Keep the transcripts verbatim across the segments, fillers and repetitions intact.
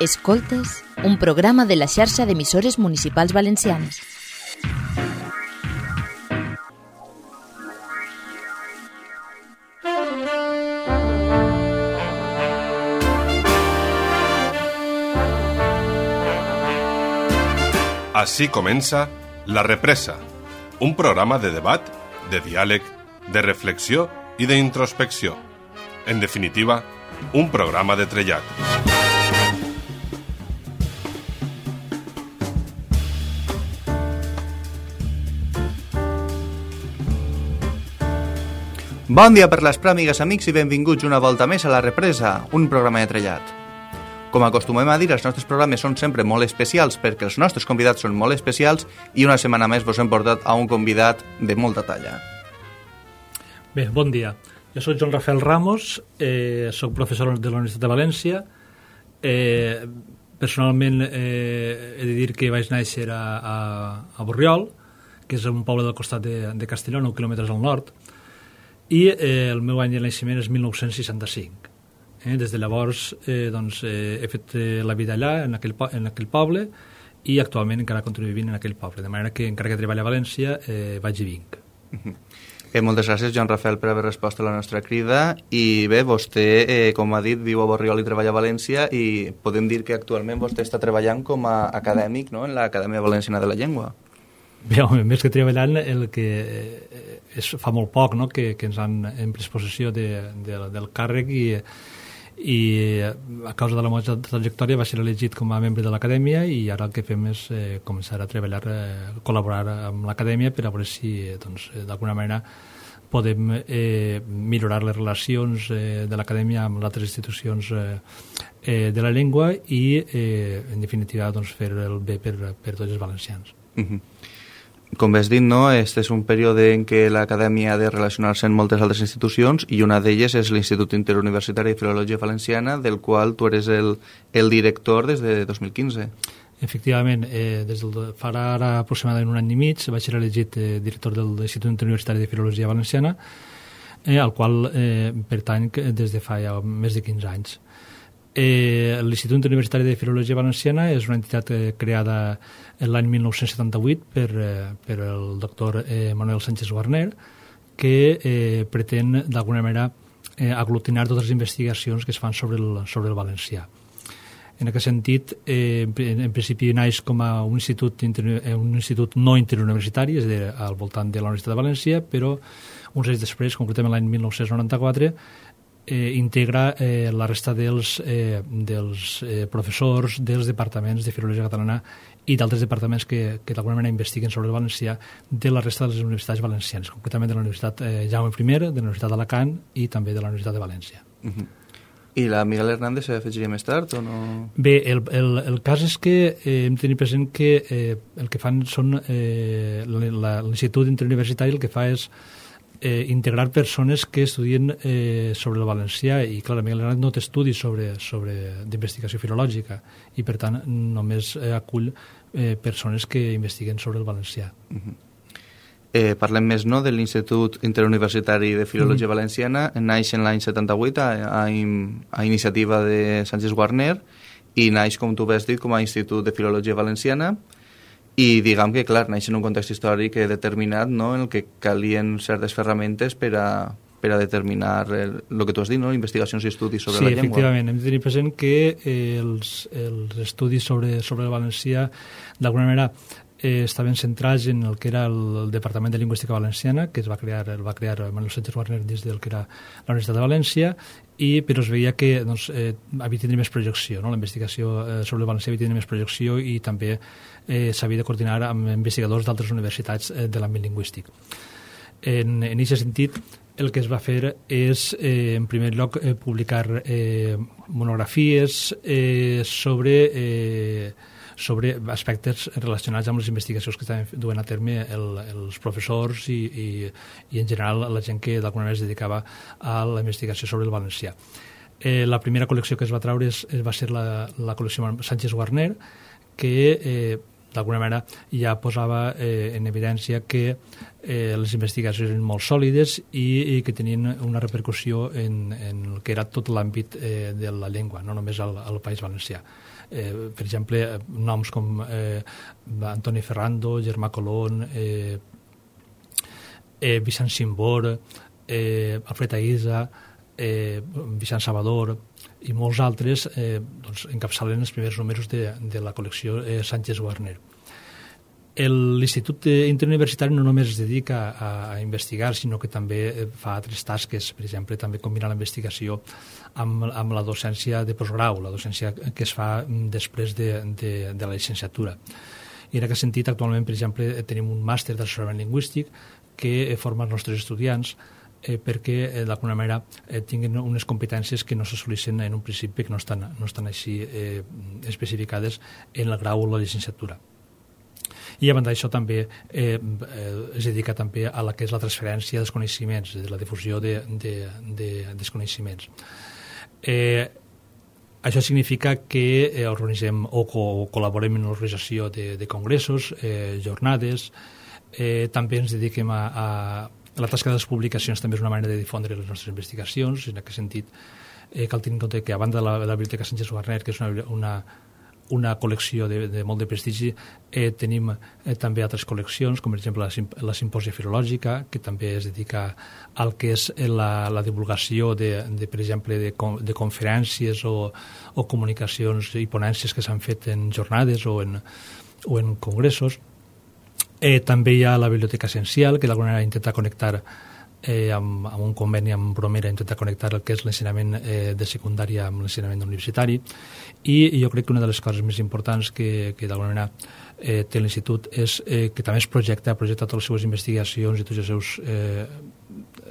Escoltes, un programa de la xarxa d'emissores municipals valencianes. Així comença La Represa, un programa de debat, de diàleg, de reflexió i d'introspecció. En definitiva, un programa de trellat. Bon dia per les pròmigues, amics, i benvinguts una volta més a La Represa, un programa de trellat. Com acostumem a dir, els nostres programes són sempre molt especials perquè els nostres convidats són molt especials i una setmana més vos hem portat a un convidat de molta talla. Bé, bon dia. Jo soc Joan Rafael Ramos, eh, soc professor de la Universitat de València. Eh, personalment eh, he de dir que vaig néixer a, a, a Borriol, que és un poble del costat de, de Castelló, nou quilòmetres al nord, i eh, el meu any de naixement és mil nou-cents seixanta-cinc. Eh, des de llavors eh, doncs, eh, he fet eh, la vida allà, en aquell, en aquell poble, i actualment encara continuo vivint en aquell poble, de manera que encara que treballo a València eh, vaig i vinc. Uh-huh. eh, moltes gràcies, Joan Rafael, per haver respost a la nostra crida. I bé, vostè, eh, com ha dit, viu a Borriol i treballa a València, i podem dir que actualment vostè està treballant com a acadèmic, no?, en l'Acadèmia Valenciana de la Llengua. Bé, home, més que treballant, el que és, fa molt poc, no?, que, que ens han en pres possessió de, de, del càrrec, i, i a causa de la meva trajectòria va ser elegit com a membre de l'Acadèmia, i ara el que fem és eh, començar a treballar, eh, col·laborar amb l'Acadèmia per a veure si doncs, d'alguna manera podem eh, millorar les relacions eh, de l'Acadèmia amb altres institucions eh, eh, de la llengua i, eh, en definitiva, doncs, fer el bé per, per tots els valencians. Uh-huh. Com bé has dit, no? Este és un període en què l'Acadèmia ha de relacionar-se amb moltes altres institucions i una d'elles és l'Institut Interuniversitari de Filologia Valenciana, del qual tu eres el, el director des de dos mil quinze. Efectivament, eh, des del, farà ara aproximadament un any i mig vaig ser elegit eh, director de l'Institut Interuniversitari de Filologia Valenciana, eh, al qual eh, pertany des de fa ja més de quinze anys. Eh, L'Institut Interuniversitari de Filologia Valenciana és una entitat eh, creada l'any mil nou-cents setanta-vuit per, eh, per el doctor eh, Manuel Sánchez Guarner, que eh, pretén d'alguna manera eh, aglutinar totes les investigacions que es fan sobre el, sobre el valencià. En aquest sentit, eh, en, en principi naix com a un institut, inter, un institut no interuniversitari, és a dir, al voltant de la Universitat de València, però uns anys després, concretament l'any mil nou-cents noranta-quatre, Eh, integra eh, la resta dels, eh, dels eh, professors dels departaments de filologia catalana i d'altres departaments que, que d'alguna manera investiguen sobre el valencià de la resta de les universitats valencianes, concretament de la Universitat eh, Jaume I, de la Universitat d'Alacant i també de la Universitat de València. Uh-huh. I la Miguel Hernández s'afegiria més tard o no? Bé, el, el, el cas és que eh, hem de tenir present que eh, el que fan són eh, l'Institut Interuniversitari el que fa és Eh, integrar persones que estudien eh, sobre el valencià, i clar, Miguel Hernández no té estudis sobre, sobre d'investigació filològica i per tant només eh, acull eh, persones que investiguen sobre el valencià. Uh-huh. eh, Parlem més, no?, de l'Institut Interuniversitari de Filologia uh-huh. Valenciana. Naix en l'any setanta-vuit a, a, a iniciativa de Sánchez Guarner i naix, com tu has dit, com a Institut de Filologia Valenciana. I diguem que, clar, naix en un context històric determinat, no?, en el que calien certes ferramentes per a, per a determinar el, el que tu has dit, no?, investigacions i estudis sobre sí, la llengua. Sí, efectivament. Hem de tenir present que eh, els, els estudis sobre, sobre el valencià, d'alguna manera, eh, estaven centrats en el que era el, el Departament de Lingüística Valenciana, que es va crear, el va crear Manuel Sánchez Guarner des del que era la Universitat de València, i, però es veia que doncs, eh, havia de tenir més projecció, no? La investigació eh, sobre el valencià havia de tenir més projecció i també eh, s'havia de coordinar amb investigadors d'altres universitats eh, de l'àmbit lingüístic. En aquest sentit, el que es va fer és, eh, en primer lloc, eh, publicar eh, monografies eh, sobre... Eh, sobre aspectes relacionats amb les investigacions que estaven duent a terme el, els professors i, i, i en general la gent que d'alguna manera es dedicava a la investigació sobre el valencià. Eh, la primera col·lecció que es va traure és, va ser la, la col·lecció Sánchez Guarner, que eh, d'alguna manera ja posava eh, en evidència que eh, les investigacions eren molt sòlides i, i que tenien una repercussió en, en el que era tot l'àmbit eh, de la llengua, no només al, al País Valencià. Eh, per exemple, noms com eh, Antoni Ferrando, Germà Colón, eh, eh, Vicent Simbor, eh, Alfred Aïza, eh, Vicent Salvador i molts altres eh, doncs, encapçalen els primers números de, de la col·lecció eh, Sánchez-Warner. L'Institut Interuniversitari no només es dedica a, a investigar, sinó que també fa altres tasques, per exemple, també combina la investigació amb, amb la docència de postgrau, la docència que es fa després de, de, de la llicenciatura. I en aquest sentit, actualment, per exemple, tenim un màster d'assessorament lingüístic que forma els nostres estudiants eh, perquè, eh, d'alguna manera, eh, tinguin unes competències que no s'assoleixen en un principi, que no estan, no estan així eh, especificades en el grau o la llicenciatura. I a banda d'això també eh, eh, es dedica també a la que és la transferència dels coneixements, de la difusió de, de, de, dels coneixements. Eh, això significa que eh, organitzem o, co o col·laborem en l'organització de, de congressos, eh, jornades, eh, també ens dediquem a, a la tasca de les publicacions, també és una manera de difondre les nostres investigacions. En aquest sentit, eh, cal tenir en compte que a banda de la, de la Biblioteca Sánchez-Warner, que és una, una una col·lecció de, de molt de prestigi, eh, tenim eh, també altres col·leccions, com per exemple la, Simp la Simpòsia Filològica, que també es dedica al que és la, la divulgació de, de, per exemple, de, de conferències o, o comunicacions i ponències que s'han fet en jornades o en, o en congressos. Eh, també hi ha la Biblioteca Essencial, que d'alguna manera intenta connectar Eh, amb, amb un conveni amb Bromera, intentar connectar el que és l'ensenyament eh, de secundària amb l'ensenyament universitari, i, i jo crec que una de les coses més importants que, que d'alguna manera eh, té l'Institut és eh, que també es projecta, projecta totes les seves investigacions i tots els seus, eh,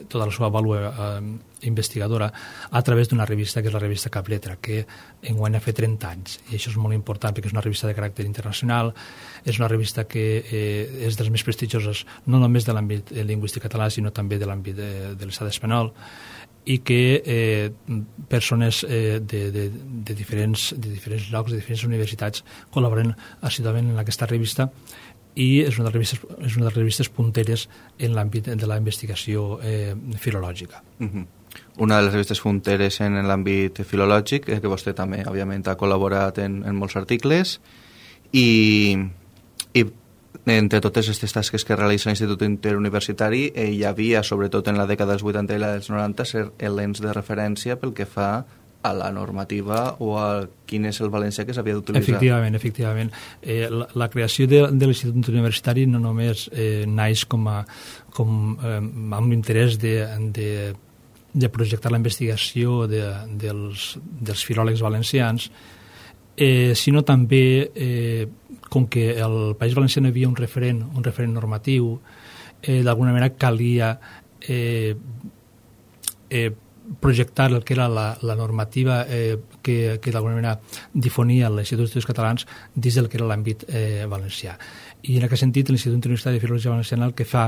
tota la seva vàlua eh, investigadora a través d'una revista que és la revista Capletra, que enguany ha fet trenta anys, i això és molt important perquè és una revista de caràcter internacional, és una revista que eh, és de les més prestigioses no només de l'àmbit lingüístic català sinó també de l'àmbit de, de l'estat espanyol, i que eh, persones eh, de, de, de, diferents, de diferents llocs, de diferents universitats col·laboren assiduament en aquesta revista, i és una de les revistes, és una de les revistes punteres en l'àmbit de la investigació eh, filològica. Uh-huh. Una de les revistes punteres en l'àmbit filològic, eh, que vostè també, òbviament, ha col·laborat en, en molts articles, i, i entre totes aquestes tasques que realitza l'Institut Interuniversitari eh, hi havia, sobretot en la dècada dels vuitanta i la dels noranta, ser elements de referència pel que fa a la normativa o a quin és el valencià que s'havia d'utilitzar. Efectivament, efectivament. Eh, la, la creació de, de l'Institut Universitari no només eh, naix com a, com, eh, amb l'interès de, de, de projectar la investigació de, dels, dels filòlegs valencians, eh, sinó també eh, com que al País Valencià no hi havia un referent, un referent normatiu, eh, d'alguna manera calia eh, eh, projectar el que era la, la normativa eh, que, que d'alguna manera difonia l'Institut d'Estudis Catalans dins del que era l'àmbit eh, valencià. I en aquest sentit l'Institut Universitari de Filologia Valenciana el que fa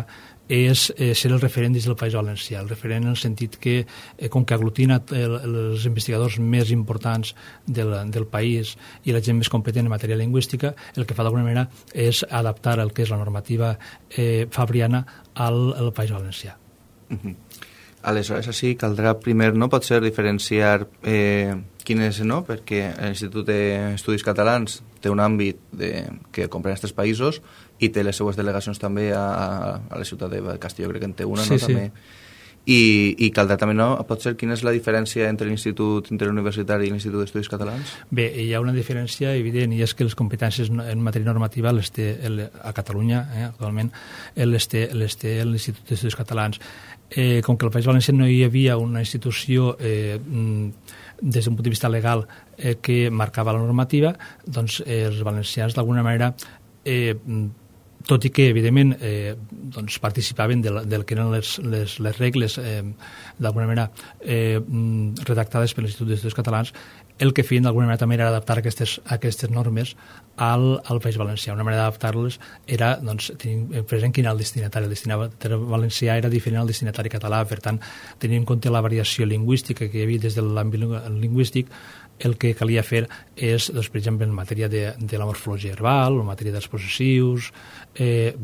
és eh, ser el referent dins del País Valencià, el referent en el sentit que, eh, com que aglutina el, els investigadors més importants del, del país i la gent més competent en matèria lingüística, el que fa d'alguna manera és adaptar el que és la normativa eh, fabriana al, al País Valencià. Uh-huh. Aleshores, així caldrà primer, no pot ser diferenciar eh, quin és, no? Perquè l'Institut d'Estudis Catalans té un àmbit de, que comprèn aquests països i té les seues delegacions també a, a la ciutat de Castelló, crec que en té una, sí, no? Sí. També. I, I caldrà també, no? Pot ser quina és la diferència entre l'Institut Interuniversitari i l'Institut d'Estudis Catalans? Bé, hi ha una diferència evident, i és que les competències en matèria normativa les té el, a Catalunya, eh, actualment, les té, les té l'Institut d'Estudis Catalans. Eh, com que al País Valencià no hi havia una institució eh, des d'un punt de vista legal eh, que marcava la normativa, doncs eh, els valencians d'alguna manera eh, tot i que, evidentment, eh, doncs participaven de la, del que eren les, les, les regles, eh, d'alguna manera, eh, redactades per l'Institut d'Estudis Catalans, el que feien d'alguna manera també era adaptar aquestes, aquestes normes al, al País Valencià. Una manera d'adaptar-les era, doncs, tenint present quin era el destinatari. El destinatari valencià era diferent al destinatari català, per tant, tenint en compte la variació lingüística que hi havia des de l'àmbit lingüístic, el que calia fer és, doncs, per exemple, en matèria de, de la morfologia verbal, o en matèria dels possessius, eh,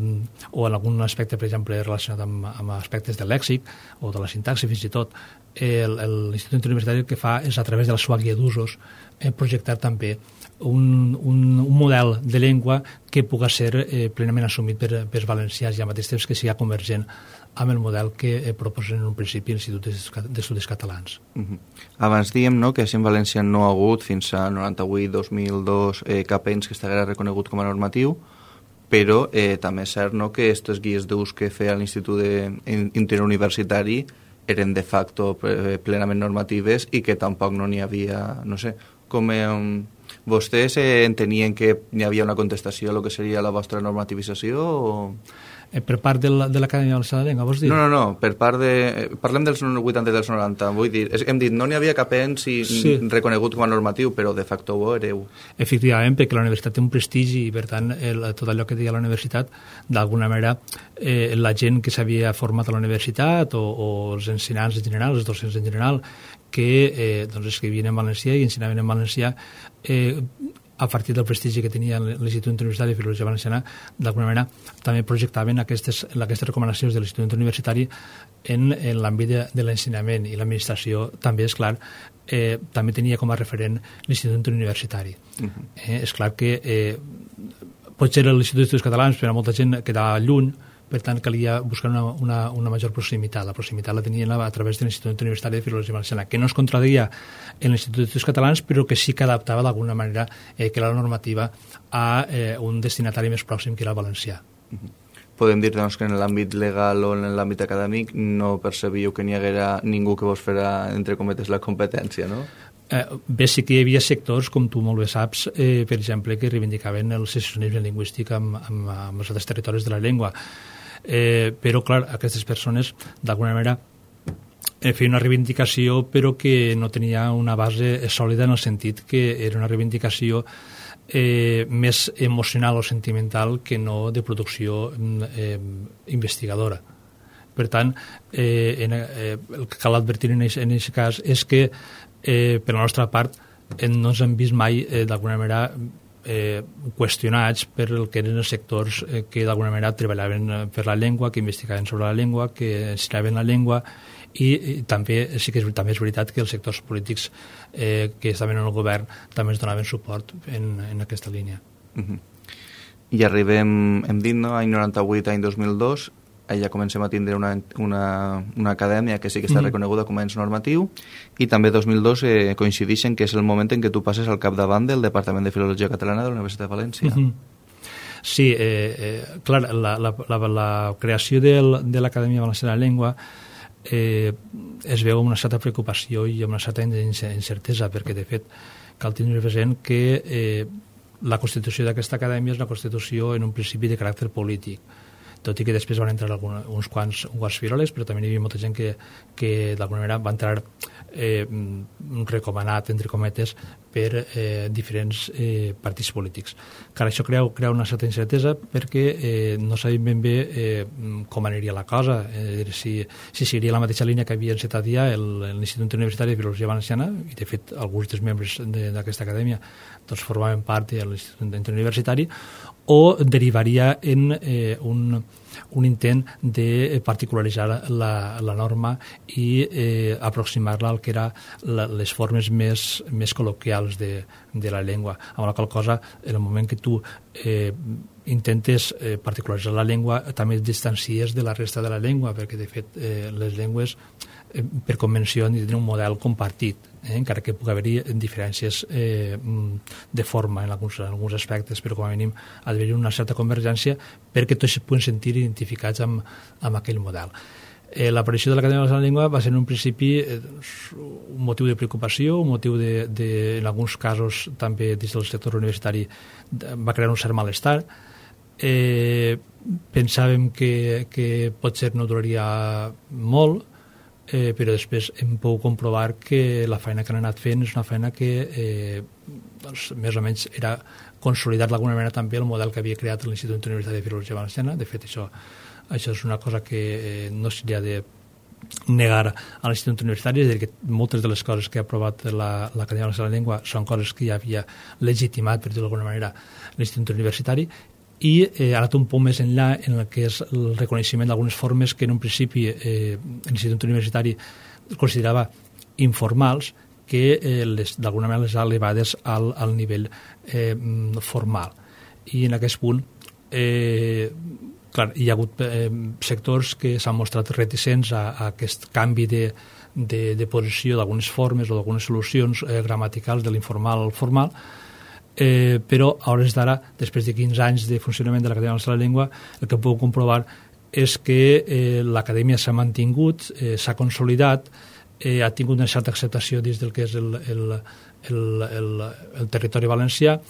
o en algun aspecte, per exemple, relacionat amb, amb aspectes del lèxic o de la sintaxi, fins i tot, l'Institut Interuniversitari el que fa és, a través de la seva guia d'usos, eh, projectar també un, un, un model de llengua que pugui ser eh, plenament assumit per, per valencians i al mateix temps que sigui convergent amb el model que eh, proposen en un principi l'Institut d'Estudis Catalans. Uh-huh. Abans diem, no, que així en València no ha hagut fins a noranta-vuit dos mil dos eh, cap ens que estigués reconegut com a normatiu, però eh, també és cert, no, que aquestes guies d'ús que feia l'Institut Interuniversitari eren de facto plenament normatives i que tampoc no n'hi havia, no sé, com eh, vostès eh, entenien que hi havia una contestació a lo que seria la vostra normativització o... Eh, per part de l'Acadèmia Valenciana de la Llengua, vols dir? No, no, no, per part de... Parlem dels vuitanta i dels noranta, vull dir, hem dit, no n'hi havia cap ens i sí. reconegut com a normatiu, però de facto ho hereu. Efectivament, perquè la universitat té un prestigi i, per tant, el, tot allò que deia la universitat, d'alguna manera, eh, la gent que s'havia format a la universitat o, o els ensenyants en general, els docents en general, que eh, doncs escrivien en valencià i ensenyaven en valencià, eh, a partir del prestigi que tenia l'Institut Interuniversitari de Filologia Valenciana, d'alguna manera també projectaven aquestes, aquestes recomanacions de l'Institut Interuniversitari en, en l'àmbit de, de l'ensenyament, i l'administració també, és clar, eh, també tenia com a referent l'Institut Interuniversitari. Uh-huh. eh, és clar que eh, potser l'Institut d'Estudis Catalans per a molta gent quedava lluny, per tant calia buscar una, una, una major proximitat. La proximitat la tenien a través de l'Institut Universitari de Filologia Valenciana, que no es contradeia en l'Institut d'Estudis Catalans, però que sí que adaptava d'alguna manera eh, que la normativa a eh, un destinatari més pròxim, que era el valencià. Podem dir doncs, que en l'àmbit legal o en l'àmbit acadèmic no percebíeu que n'hi haguera ningú que vos fera, entre cometes, la competència, no? Eh, bé, sí que hi havia sectors, com tu molt bé saps, eh, per exemple, que reivindicaven el secessionisme lingüístic amb, amb, amb els altres territoris de la llengua. Eh, però, clar, aquestes persones, d'alguna manera, eh, feien una reivindicació, però que no tenia una base sòlida en el sentit que era una reivindicació eh, més emocional o sentimental que no de producció eh, investigadora. Per tant, eh, en, eh, el que cal advertir en aquest cas és que, eh, per la nostra part, eh, no ens hem vist mai, eh, d'alguna manera, Eh, qüestionats per el que eren els sectors eh, que d'alguna manera treballaven per la llengua, que investigaven sobre la llengua, que ensenyaven la llengua, i, i també sí que és, també és veritat que els sectors polítics eh, que estaven en el govern també ens donaven suport en, en aquesta línia. Uh-huh. I arribem, hem dit, no, any noranta-vuit, any dos mil dos, ja comencem a tindre una, una, una acadèmia que sí que està reconeguda com a ens normatiu, i també dos mil dos eh, coincideixen que és el moment en què tu passes al capdavant del Departament de Filologia Catalana de la Universitat de València. Uh-huh. Sí, eh, eh, clar, la, la, la, la creació del, de l'Acadèmia Valenciana de la Llengua eh, es veu amb una certa preocupació i amb una certa incertesa, perquè de fet cal tenir present que eh, la constitució d'aquesta acadèmia és una constitució en un principi de caràcter polític, tot i que després van entrar alguna, uns quants, uns quants filòlegs, però també hi havia molta gent que, que d'alguna manera va entrar eh, recomanat, entre cometes, per eh, diferents eh, partits polítics. Clar, això crea, crea una certa incertesa perquè eh, no sabem ben bé eh, com aniria la cosa, eh, si, si seguiria la mateixa línia que havia encetat ja l'Institut Universitari de Filologia Valenciana, i de fet alguns dels membres d'aquesta acadèmia doncs, formaven part de l'Institut Interuniversitari, o derivaria en eh, un, un intent de particularitzar la, la norma i eh, aproximar-la al que eren les formes més, més col·loquials de, de la llengua. Amb la qual cosa, en el moment que tu eh, intentes eh, particularitzar la llengua, també et distancies de la resta de la llengua, perquè de fet eh, les llengües eh, per convenció han de tenir un model compartit, eh, encara que pugui haver-hi diferències eh, de forma en alguns, en alguns aspectes, però com a mínim ha d'haver-hi una certa convergència perquè tots es puguen sentir identificats amb, amb aquell model. Eh, L'aparició de l'Acadèmia Valenciana de la Llengua va ser en un principi eh, un motiu de preocupació, un motiu de, de, en alguns casos també dins del sector universitari va crear un cert malestar, eh, pensàvem que, que potser no duraria molt, eh, però després hem pogut comprovar que la feina que han anat fent és una feina que eh, doncs, més o menys era consolidat d'alguna manera també el model que havia creat l'Institut Universitari de Filologia Valenciana. De fet, això, això és una cosa que eh, no s'hauria de negar a l'Institut Universitari, és a dir, que moltes de les coses que ha aprovat la, l'Acadèmia Valenciana de la Llengua són coses que ja havia legitimat, per dir-ho d'alguna manera, l'Institut Universitari, i eh, ha anat un poc més enllà en el que és el reconeixement d'algunes formes que en un principi eh, l'Institut Universitari considerava informals, que eh, les, d'alguna manera les ha elevades al, al nivell eh, formal. I en aquest punt eh, clar, hi ha hagut eh, sectors que s'han mostrat reticents a, a aquest canvi de, de, de posició d'algunes formes o d'algunes solucions eh, gramaticals de l'informal al formal, eh, però a hores d'ara, després de quinze anys de funcionament de l'Acadèmia Valenciana de la Llengua, el que puc comprovar és que eh, l'Acadèmia s'ha mantingut, eh, s'ha consolidat, eh, ha tingut una certa acceptació dins del que és el, el, el, el, el territori valencià,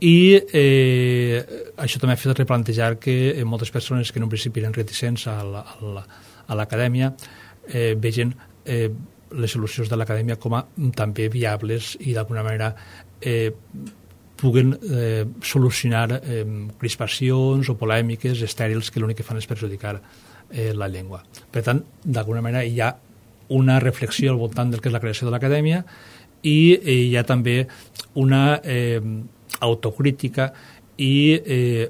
i eh, això també ha fet replantejar que moltes persones que en un principi eren reticents a, la, a, la, a l'acadèmia eh, vegin eh, les solucions de l'acadèmia com a també viables i d'alguna manera eh, puguen eh, solucionar eh, crispacions o polèmiques estèrils que l'únic que fan és perjudicar eh, la llengua. Per tant, d'alguna manera hi ha una reflexió al voltant del que és la creació de l'acadèmia i eh, hi ha també una eh, autocrítica i eh,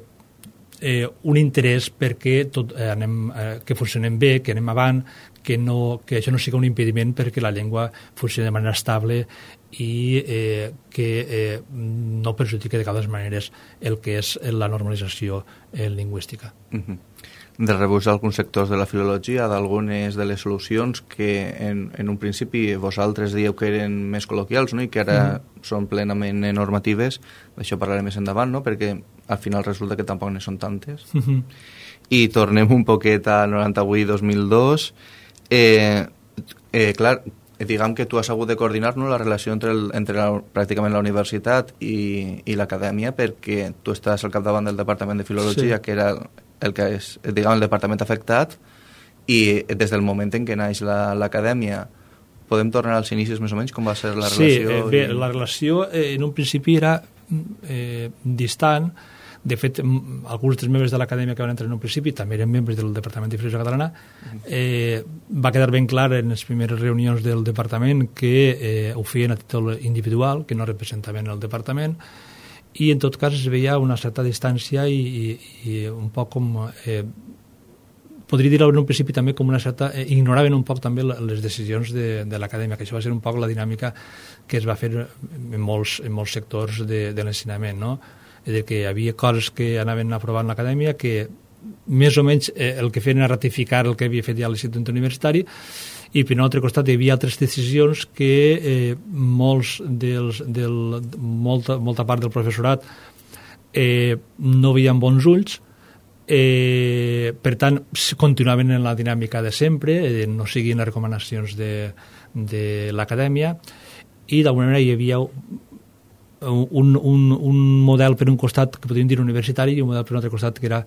eh, un interès perquè tot, eh, anem, eh, que funcionem bé, que anem avant, que, no, que això no sigui un impediment perquè la llengua funcioni de manera estable i eh, que eh, no perjudiqui de cap maneres el que és la normalització eh, lingüística. Uh-huh. De rebuig d'alguns sectors de la filologia, d'algunes de les solucions que en, en un principi vosaltres dieu que eren més col·loquials, no? I que ara mm. són plenament normatives, d'això parlarem més endavant, no? Perquè al final resulta que tampoc ne són tantes. Mm-hmm. I tornem un poquet a noranta-vuit dos mil dos. Eh, eh, clar, diguem que tu has hagut de coordinar, no, la relació entre, el, entre la, pràcticament la universitat i, i l'acadèmia, perquè tu estàs al capdavant del Departament de Filologia, sí. que era el que és, diguem, el departament afectat, i des del moment en què naix la, l'acadèmia, podem tornar als inicis més o menys, com va ser la relació? Sí, eh, bé, i... la relació eh, en un principi era eh, distant. De fet, alguns dels membres de l'acadèmia que van entrar en un principi també eren membres del Departament de Filologia Catalana. Eh, va quedar ben clar en les primeres reunions del departament que eh, ho feien a títol individual, que no representaven el departament, i en tot cas es veia una certa distància i, i, i un poc com eh, podria dir en un principi també com una certa eh, ignoraven un poc també les decisions de, de l'acadèmia, que això va ser un poc la dinàmica que es va fer en molts, en molts sectors de, de l'ensenyament, no? És a dir, que hi havia coses que anaven aprovant l'acadèmia que més o menys eh, el que feien era ratificar el que havia fet ja l'Institut Universitari, i per un altre costat hi havia altres decisions que eh, molts dels, del, molta, molta part del professorat eh, no veien bons ulls, eh, per tant continuaven en la dinàmica de sempre, eh, no siguin les recomanacions de, de l'acadèmia, i d'alguna manera hi havia un, un, un model per un costat que podríem dir universitari i un model per un altre costat que era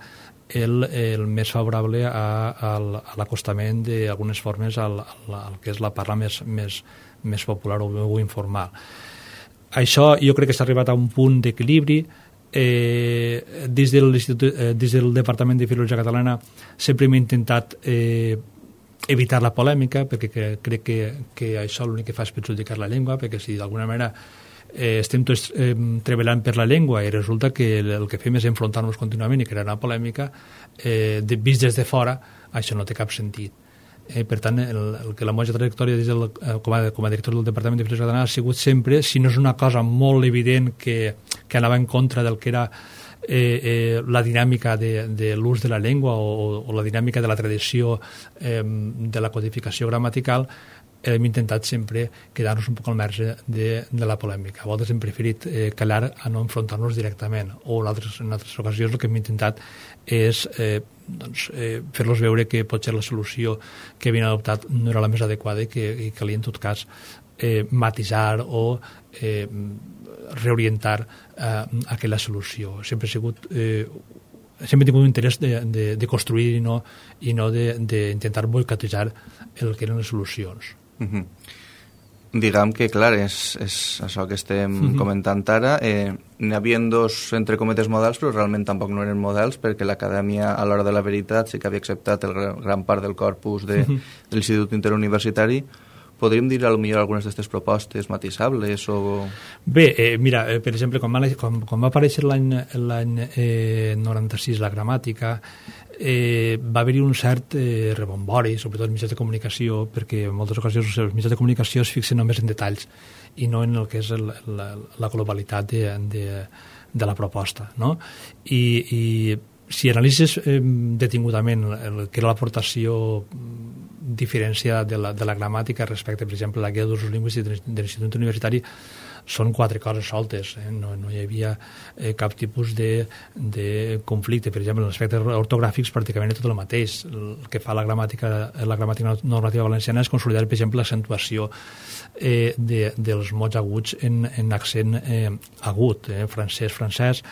el, el més favorable a, a, a l'acostament d'algunes formes al, al que és la parla més, més, més popular o, o informal. Això jo crec que s'ha arribat a un punt d'equilibri. Eh, des, de eh, des del Departament de Filologia Catalana sempre hem intentat eh, evitar la polèmica, perquè que, crec que, que això l'únic que fa és perjudicar la llengua, perquè si d'alguna manera Eh, estem tots eh, treballant per la llengua i resulta que el, el que fem és enfrontar-nos contínuament i crear una polèmica, eh, de, vist des de fora, això no té cap sentit. Eh, per tant, el, el que la meva trajectòria des del, eh, com, a, com a director del Departament de Filologia Catalana ha sigut sempre, si no és una cosa molt evident que, que anava en contra del que era eh, eh, la dinàmica de, de l'ús de la llengua o, o la dinàmica de la tradició eh, de la codificació gramatical, hem intentat sempre quedar-nos un poc al marge de, de la polèmica. A vegades hem preferit eh, calar a no enfrontar-nos directament, o en altres, en altres ocasions el que hem intentat és eh, doncs, eh, fer-los veure que potser la solució que havien adoptat no era la més adequada i que i calia en tot cas eh, matisar o eh, reorientar eh, aquella solució. Sempre ha sigut eh, sempre he tingut un interès de, de, de construir i no, i no d'intentar boicotejar el que eren les solucions. Uh-huh. Diguem que, clar, és, és això que estem uh-huh. comentant ara. Eh, n'hi havia dos, entre cometes, models, però realment tampoc no eren models, perquè l'acadèmia, a l'hora de la veritat, sí que havia acceptat el gran part del corpus de, uh-huh. de l'Institut Interuniversitari. Podríem dir, potser algunes d'aquestes propostes matissables o... Bé, eh, mira, eh, per exemple, quan va, quan, quan va aparèixer l'any eh, noranta-sis la gramàtica, eh, va haver-hi un cert eh, rebombori, sobretot en mitjans de comunicació, perquè en moltes ocasions els mitjans de comunicació es fixen només en detalls i no en el que és el, la, la globalitat de, de, de la proposta, no? I, i si analitzes eh, detingudament el que era l'aportació diferència de la, de la gramàtica respecte, per exemple, a la guia d'usos lingüístics de l'Institut Universitari, són quatre coses soltes, eh? no, no hi havia eh, cap tipus de, de conflicte. Per exemple, en aspectes ortogràfics pràcticament és tot el mateix. El que fa la gramàtica, la gramàtica normativa valenciana és consolidar, per exemple, l'accentuació eh, de, dels mots aguts en, en accent eh, agut, eh? francès, francès.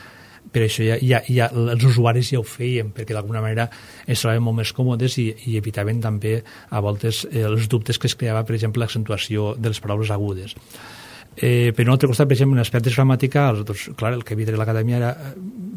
Per això ja, ja, ja els usuaris ja ho feien, perquè d'alguna manera es trobaven molt més còmodes i, i evitaven també a voltes eh, els dubtes que es creava, per exemple, l'accentuació de les paraules agudes. Eh, per un altre costat, per exemple, en aspectes gramaticals, doncs, clar, el que havia de l'acadèmia era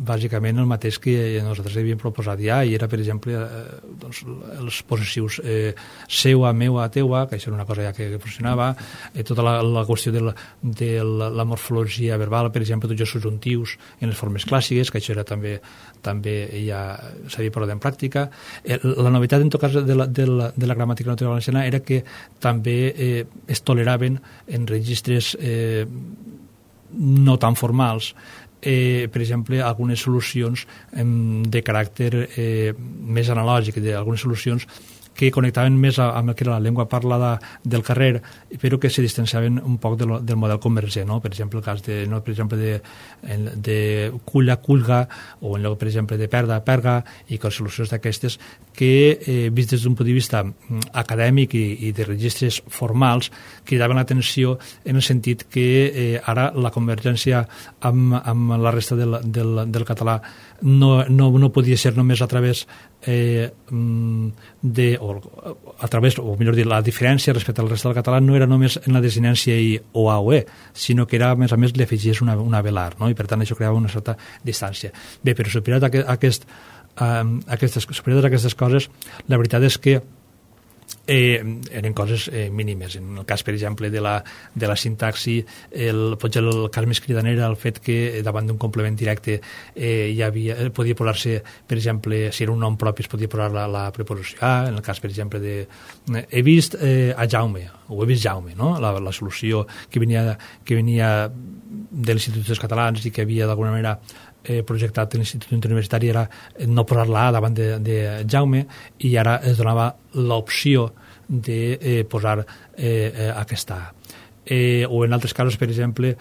bàsicament el mateix que nosaltres havíem proposat ja, i era, per exemple, eh, doncs, els possessius eh, seua, meua, teua, que això era una cosa ja que, que funcionava, eh, tota la, la qüestió de, la, de la, la morfologia verbal, per exemple, tots els subjuntius en les formes clàssiques, que això era també, també ja s'havia parlat en pràctica. Eh, la novetat, en tot cas, de la, de la, de la gramàtica nativa valenciana era que també eh, es toleraven en registres eh, no tan formals, eh, per exemple, algunes solucions eh, de caràcter eh, més analògic, d'algunes solucions que connectaven més amb el que era la llengua parlada del carrer, però que se distanciaven un poc del, del model convergent, no? Per exemple, el cas de, no, per exemple, de, de culla, culga, o en lloc, per exemple, de perda, perga, i que solucions d'aquestes que, eh, vist des d'un punt de vista acadèmic i, i de registres formals, cridaven l'atenció en el sentit que eh, ara la convergència amb, amb la resta del, del, del català no, no, no podia ser només a través eh, de, o a través, o millor dir, la diferència respecte al resta del català no era només en la desinència i o a o e, sinó que era, a més a més, li afegies una, una velar, no? I per tant això creava una certa distància. Bé, però superat aquest, aquest, um, aquestes, superat aquestes coses, la veritat és que Eh, eren coses eh, mínimes. En el cas, per exemple, de la, de la sintaxi, el, potser el cas més cridaner era el fet que davant d'un complement directe eh, hi havia, podia posar-se, per exemple, si era un nom propi es podia posar la, la preposició a, en el cas, per exemple, de eh, he vist eh, a Jaume, o he vist Jaume, no? la, la solució que venia, que venia de l'Institut dels Catalans i que havia d'alguna manera eh, projectat en l'Institut Interuniversitari era no posar la A davant de, de Jaume, i ara es donava l'opció de eh, posar eh, eh, aquesta A. Eh, o en altres casos, per exemple,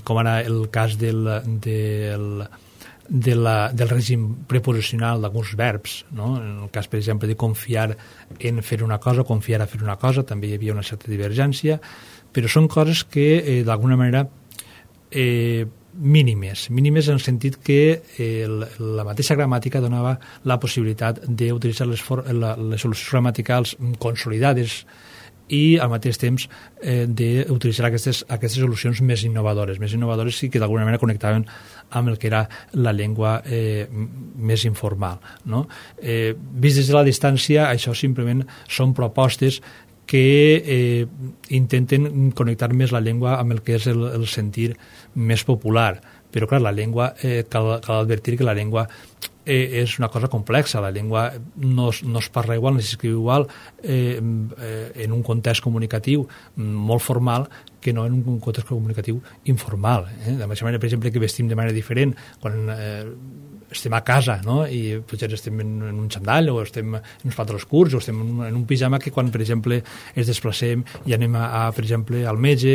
com ara el cas del, del, de la, del règim preposicional d'alguns verbs, no? En el cas, per exemple, de confiar en fer una cosa o confiar a fer una cosa, també hi havia una certa divergència, però són coses que, eh, d'alguna manera, eh, mínimes, mínimes en el sentit que eh, la mateixa gramàtica donava la possibilitat d'utilitzar les, la, les solucions gramaticals consolidades i al mateix temps eh, d'utilitzar aquestes, aquestes solucions més innovadores, més innovadores i que d'alguna manera connectaven amb el que era la llengua eh, més informal, no? Eh, vist des de la distància, això simplement són propostes que eh, intenten connectar més la llengua amb el que és el, el sentir més popular. Però, clar, la llengua, eh, cal, cal advertir que la llengua eh, és una cosa complexa. La llengua no, no es parla igual, no s'escriu igual eh, eh, en un context comunicatiu molt formal que no en un context comunicatiu informal. Eh? De la mateixa manera, per exemple, que vestim de manera diferent quan eh, estem a casa, no? I potser estem en, en un xandall o estem en uns pantalons curts o estem en un, en un pijama que quan, per exemple, es desplacem i anem a, a per exemple, al metge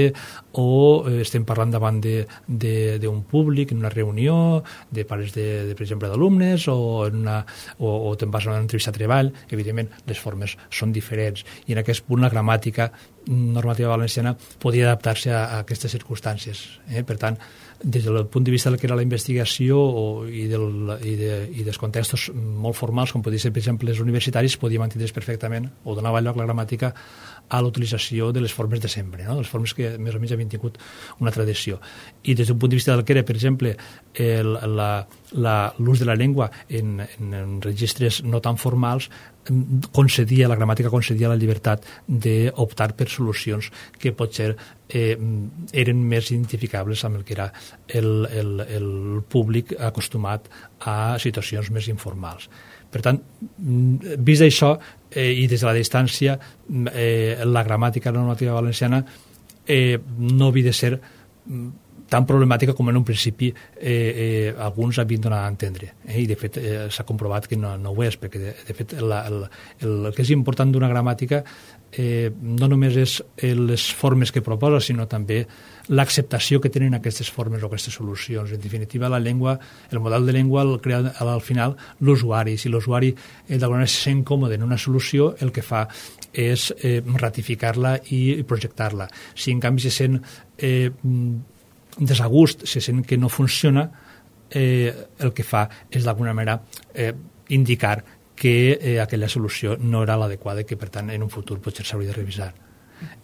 o eh, estem parlant davant d'un públic, en una reunió de pares, de, de per exemple, d'alumnes o, en una, o, o te'n vas a una entrevista de treball, evidentment les formes són diferents i en aquest punt la gramàtica normativa valenciana podia adaptar-se a, a aquestes circumstàncies. Eh? Per tant, des del punt de vista del que era la investigació o, i, del, i, de, i dels contextos molt formals, com podria ser, per exemple, els universitaris, podia mantenir perfectament o donava lloc la gramàtica a l'utilització de les formes de sempre, no? Les formes que més o menys havien tingut una tradició. I des d'un punt de vista del que era, per exemple, l'ús de la llengua en, en, en registres no tan formals, concedia, la gramàtica concedia la llibertat d'optar per solucions que potser eh, eren més identificables amb el que era el, el, el públic acostumat a situacions més informals. Per tant, vist això, eh, i des de la distància, eh, la gramàtica normativa valenciana eh, no havia de ser tan problemàtica com en un principi eh, eh, alguns havien donat a entendre. Eh? I, de fet, eh, s'ha comprovat que no, no ho és, perquè, de, de fet, la, el, el, el que és important d'una gramàtica eh, no només és les formes que proposa, sinó també l'acceptació que tenen aquestes formes o aquestes solucions. En definitiva, la llengua, el model de llengua el crea al final l'usuari. Si l'usuari eh, d'alguna manera se sent còmode en una solució, el que fa és eh, ratificar-la i projectar-la. Si en canvi se sent eh, desagust, se sent que no funciona, eh, el que fa és d'alguna manera eh, indicar que eh, aquella solució no era l'adequada i que, per tant, en un futur potser s'hauria de revisar.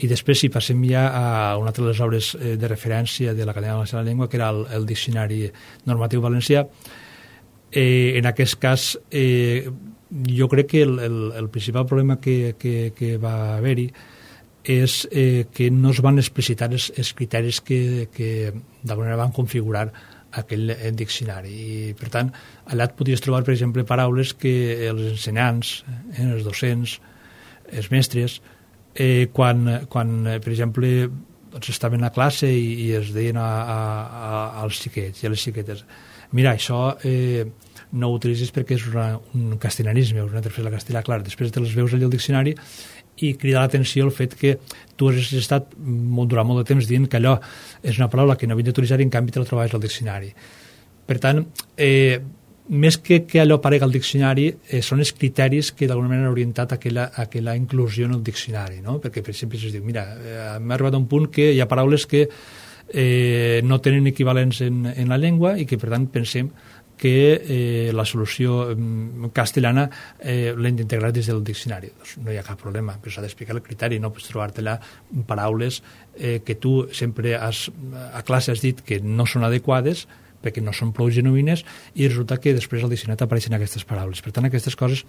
I després, si passem ja a una altra de les obres eh, de referència de l'Acadèmia Valenciana de la Llengua, que era el, el Diccionari Normatiu Valencià, eh, en aquest cas, eh, jo crec que el, el, el principal problema que, que, que va haver-hi és eh, que no es van explicitar els, els criteris que, que d'alguna manera van configurar aquell diccionari. I, per tant, allà et podies trobar, per exemple, paraules que els ensenyants, eh, els docents, els mestres, eh, quan, quan, per exemple, doncs estaven a classe i, i es deien a, a, a, als xiquets i a les xiquetes, mira, això eh, no ho utilitzis perquè és una, un castellanisme, una tercera castellà, clar, després te les veus allà al diccionari i crida l'atenció el fet que tu has estat molt, durant molt de temps dient que allò és una paraula que no havia d'utilitzar i en canvi te la trobaves al diccionari. Per tant, eh, més que, que allò aparega al diccionari, eh, són els criteris que d'alguna manera han orientat aquella, aquella inclusió en el diccionari, no? Perquè, per exemple, si es diu, mira, eh, m'ha arribat a un punt que hi ha paraules que eh, no tenen equivalents en, en la llengua i que, per tant, pensem que eh, la solució eh, castellana eh, l'hem d'integrar des del diccionari. Doncs no hi ha cap problema, però s'ha d'explicar el criteri, no pots trobar-te-la paraules eh, que tu sempre has, a classe has dit que no són adequades perquè no són prou genuïnes i resulta que després al diccionari apareixen aquestes paraules. Per tant, aquestes coses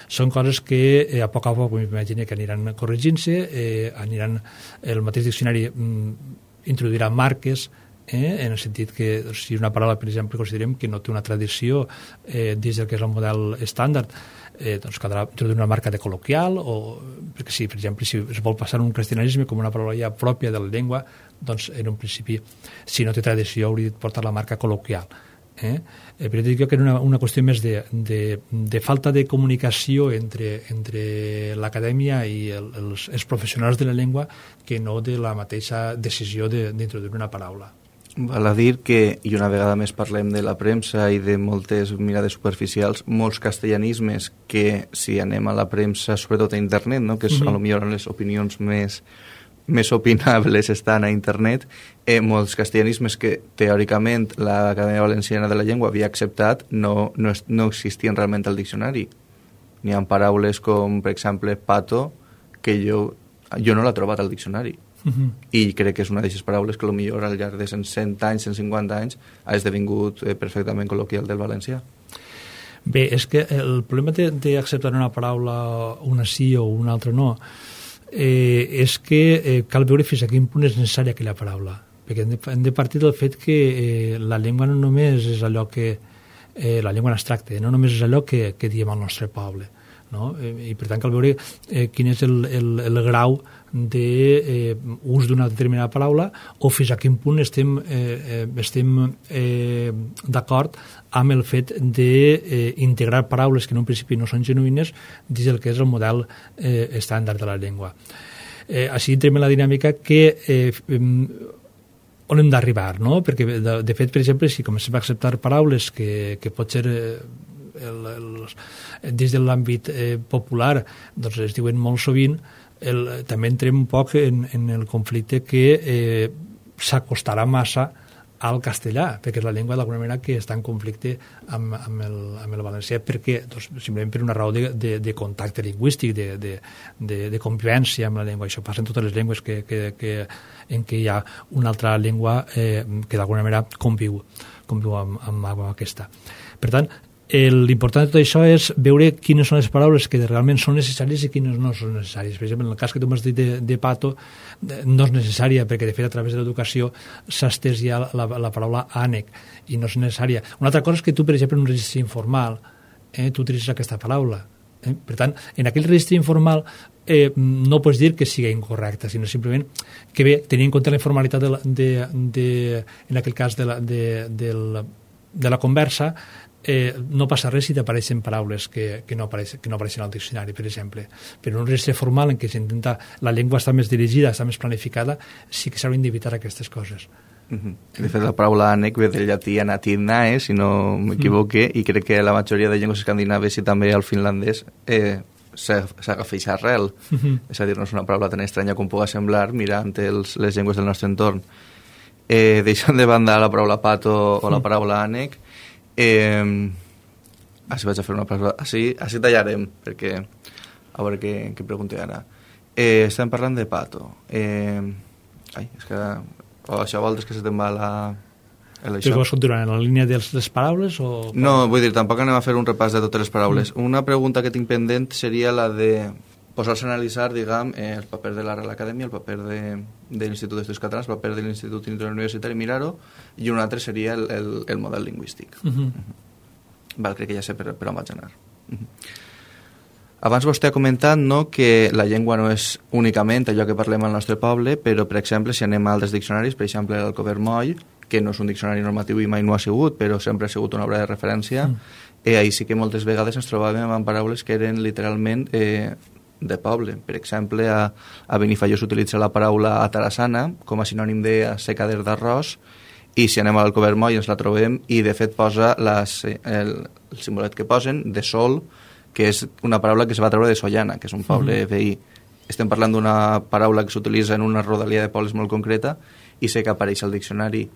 són coses que eh, a poc a poc m'imagino que aniran corregint-se, eh, aniran, el mateix diccionari mm, introduirà marques, Eh, en el sentit que si una paraula, per exemple, considerem que no té una tradició eh, dins del que és el model estàndard, eh, doncs caldrà introduir una marca de col·loquial, o, perquè si, per exemple, si es vol passar un castellanisme com una paraula ja pròpia de la llengua, doncs en un principi, si no té tradició, hauria de portar la marca col·loquial. Eh? Eh, però dic que era una, una qüestió més de, de, de falta de comunicació entre, entre l'acadèmia i el, els, els professionals de la llengua que no de la mateixa decisió d'introduir una paraula. Val a dir que, i una vegada més parlem de la premsa i de moltes mirades superficials, molts castellanismes que, si anem a la premsa, sobretot a internet, no? que és mm-hmm. a lo millor les opinions més, més opinables estan a internet, eh, molts castellanismes que teòricament l'Acadèmia Valenciana de la Llengua havia acceptat no, no, no existien realment al diccionari. N'hi ha paraules com, per exemple, pato, que jo, jo no l'he trobat al diccionari. Uh-huh. I crec que és una d'aquestes paraules que potser al llarg de cent anys, cent cinquanta anys ha esdevingut eh, perfectament col·loquial del valencià. Bé, és que el problema d'acceptar una paraula, una sí o una altra no, eh, és que eh, cal veure fins a quin punt és necessària aquella paraula, perquè hem de, hem de partir del fet que eh, la llengua no només és allò que eh, la llengua en abstracte, no només és allò que, que diem al nostre poble, no? Eh, i per tant cal veure eh, quin és el, el, el grau d'ús de, eh, d'una determinada paraula o fins a quin punt estem, eh, estem eh, d'acord amb el fet d'integrar eh, paraules que en un principi no són genuïnes dins del que és el model eh, estàndard de la llengua. Eh, així entrem en la dinàmica que eh, on hem d'arribar, no? Perquè de, de fet, per exemple, si comencem a acceptar paraules que, que pot ser eh, el, el, des de l'àmbit eh, popular doncs es diuen molt sovint, el, també entrem un poc en, en el conflicte que eh, s'acostarà massa al castellà, perquè és la llengua d'alguna manera que està en conflicte amb, amb, el, amb el valencià, perquè doncs, simplement per una raó de, de, de contacte lingüístic, de, de, de, de convivència amb la llengua. Això passa en totes les llengües que, que, que, en què hi ha una altra llengua eh, que d'alguna manera conviu, conviu amb, amb, amb aquesta. Per tant, l'important de tot això és veure quines són les paraules que realment són necessàries i quines no són necessàries. Per exemple, en el cas que tu m'has dit de, de pato, no és necessària, perquè de fet a través de l'educació s'ha estès ja la, la paraula ànec, i no és necessària. Una altra cosa és que tu, per exemple, en un registre informal, eh, tu utilitzes aquesta paraula. Eh? Per tant, en aquell registre informal eh, no pots dir que sigui incorrecta, sinó simplement que bé, tenint en compte la informalitat de, la, de, de, en aquell cas de la, de, de, la, de la conversa, Eh, no passa res si t'apareixen paraules que, que, no apareixen, que no apareixen al diccionari, per exemple. Però en un registre formal en què s'intenta la llengua està més dirigida, està més planificada, sí que s'haurien d'evitar aquestes coses. Uh-huh. De fet, la paraula ànec ve del llatí anatinae, si no m'equivoque, uh-huh. i crec que la majoria de llengües escandinaves i també el finlandès eh, s'agafa aquesta arrel. Uh-huh. És a dir, no és una paraula tan estranya com pugui semblar mirant els, les llengües del nostre entorn. Eh, deixant de banda la paraula pato o la paraula ànec, Eh, així vaig a fer una paraula així, així tallarem perquè a veure què, què pregunta ara. Eh, estem parlant de pato. Eh, ai, és que o això vols que se te'n va la... Però vols continuar en la línia de les paraules? O... No, vull dir, tampoc anem a fer un repàs de totes les paraules. Mm. Una pregunta que tinc pendent seria la de posar-se a analitzar, diguem, eh, el paper de la Real Acadèmia, el paper de, de l'Institut d'Estudis Catalans, el paper de l'Institut Interuniversitari, mirar-ho, i un altre seria el, el, el model lingüístic. Uh -huh. Uh -huh. Val, crec que ja sé per, per on vaig anar. Uh -huh. Abans vostè ha comentat, no, que la llengua no és únicament allò que parlem al nostre poble, però, per exemple, si anem a altres diccionaris, per exemple, el Covermoll, que no és un diccionari normatiu i mai no ha sigut, però sempre ha sigut una obra de referència, uh -huh. eh, ahir sí que moltes vegades ens trobàvem amb paraules que eren literalment... Eh, de poble. Per exemple, a, a Benifaió s'utilitza la paraula atarassana com a sinònim de secader d'arròs, i si anem al Covermoll ens la trobem i de fet posa les, el, el simbolet que posen de sol, que és una paraula que es va treure de Sollana, que és un poble mm. veí. Estem parlant d'una paraula que s'utilitza en una rodalia de pobles molt concreta i sé que apareix al diccionari.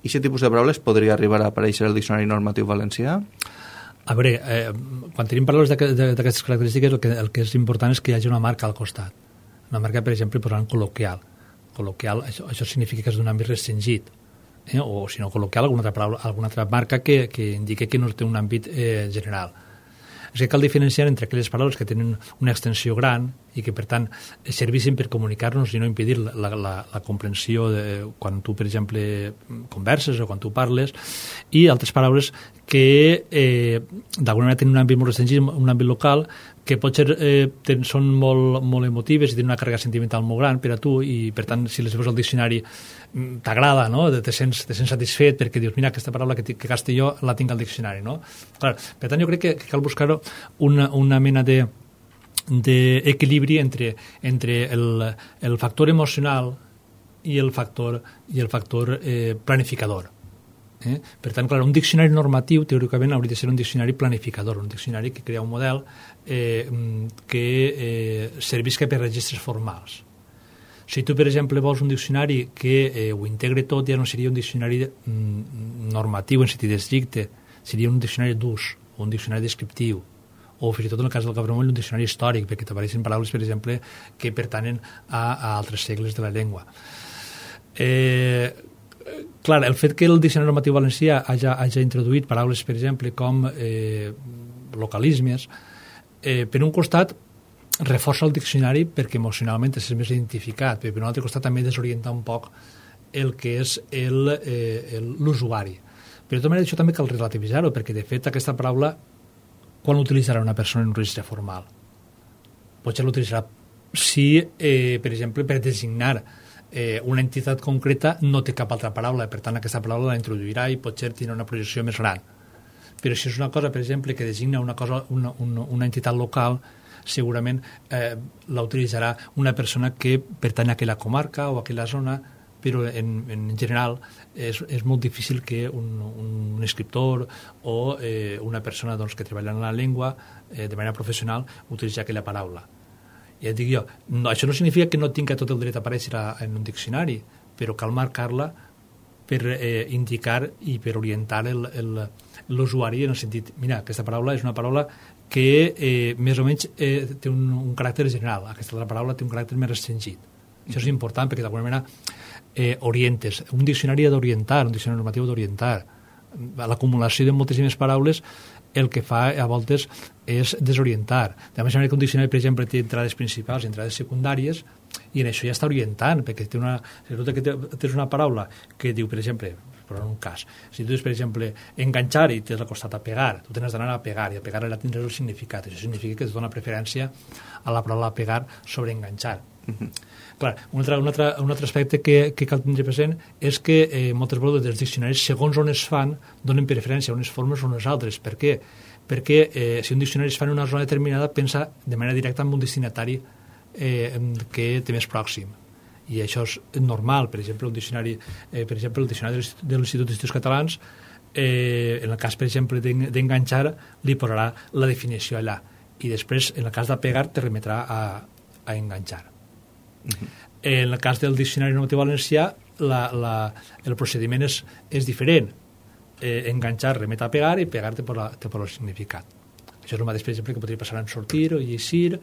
I aquest tipus de paraules podria arribar a aparèixer al diccionari normatiu valencià? A veure, eh, quan tenim paraules d'aquestes característiques, el que, el que és important és que hi hagi una marca al costat. Una marca, per exemple, posant col·loquial. Col·loquial, això, això significa que és d'un àmbit restringit. Eh? O, si no, col·loquial, alguna altra, paraula, alguna altra marca que, que indiqui que no té un àmbit eh, general. És que cal diferenciar entre aquelles paraules que tenen una extensió gran i que, per tant, servissin per comunicar-nos i no impedir la, la, la comprensió de, quan tu, per exemple, converses o quan tu parles, i altres paraules que eh, d'alguna manera tenen un àmbit molt restringit, un àmbit local, que potser eh, ten, són molt, molt emotives i tenen una càrrega sentimental molt gran per a tu, i per tant si les veus al diccionari t'agrada, no? te, sents, te sents satisfet perquè dius, mira, aquesta paraula que, que gaste jo la tinc al diccionari, no? Clar, per tant jo crec que, que cal buscar una, una mena de d'equilibri entre, entre el, el factor emocional i el factor, i el factor eh, planificador. Eh? Per tant, clar, un diccionari normatiu teòricament hauria de ser un diccionari planificador, un diccionari que crea un model eh, que eh, servisca per registres formals. Si tu, per exemple, vols un diccionari que eh, ho integre tot, ja no seria un diccionari mm, normatiu en sentit estricte, seria un diccionari d'ús, o un diccionari descriptiu, o fins i tot en el cas del Covermoll un diccionari històric, perquè t'apareixen paraules, per exemple, que pertanyen a, a altres segles de la llengua. Eh, clar, el fet que el diccionari normatiu valencià hagi, hagi introduït paraules, per exemple, com eh, localismes, eh, per un costat reforça el diccionari perquè emocionalment és més identificat, però per un altre costat també desorienta un poc el que és l'usuari. Però de tota manera això també cal relativitzar-ho, perquè de fet aquesta paraula quan l'utilitzarà una persona en un registre formal? Potser l'utilitzarà si, eh, per exemple, per designar eh, una entitat concreta no té cap altra paraula, per tant aquesta paraula la introduirà i potser tindrà una projecció més gran. Però si és una cosa, per exemple, que designa una, cosa, una, una, una entitat local, segurament eh, la utilitzarà una persona que pertany a aquella comarca o a aquella zona, però en, en general és, és molt difícil que un, un escriptor o eh, una persona doncs, que treballa en la llengua eh, de manera professional utilitzi aquella paraula. ja et dic jo, no, això no significa que no tingui tot el dret a aparèixer a, en un diccionari, però cal marcar-la per eh, indicar i per orientar l'usuari en el sentit, mira, aquesta paraula és una paraula que eh, més o menys eh, té un, un caràcter general, aquesta altra paraula té un caràcter més restringit. Això és important perquè d'alguna manera eh, orientes. Un diccionari ha d'orientar, un diccionari normatiu ha d'orientar. L'acumulació de moltíssimes paraules el que fa a voltes és desorientar. De la mateixa manera que un diccionari, per exemple, té entrades principals i entrades secundàries, i en això ja està orientant, perquè té una, si tu tens una paraula que diu, per exemple, però en un cas, si tu tens, per exemple, enganxar i t'has acostat a pegar, tu tens d'anar a pegar, i a pegar allà tindràs el significat. Això significa que es dona preferència a la paraula pegar sobre enganxar. Uh-huh. Clar, un altre, un altre, un altre aspecte que, que cal tenir present és que eh, moltes vegades els diccionaris, segons on es fan, donen preferència a unes formes o a unes altres. Per què? Perquè eh, si un diccionari es fa en una zona determinada, pensa de manera directa en un destinatari eh, que té més pròxim. I això és normal. Per exemple, un diccionari, eh, per exemple, el diccionari de l'Institut d'Estudis Catalans, eh, en el cas, per exemple, d'enganxar, li posarà la definició allà. I després, en el cas de pegar, te remetrà a, a enganxar. Uh-huh. En el cas del diccionari normatiu valencià, la, la, el procediment és, és diferent. Eh, enganxar remet a pegar i pegar te posa el significat. Això és el mateix, per exemple, que podria passar en sortir o llegir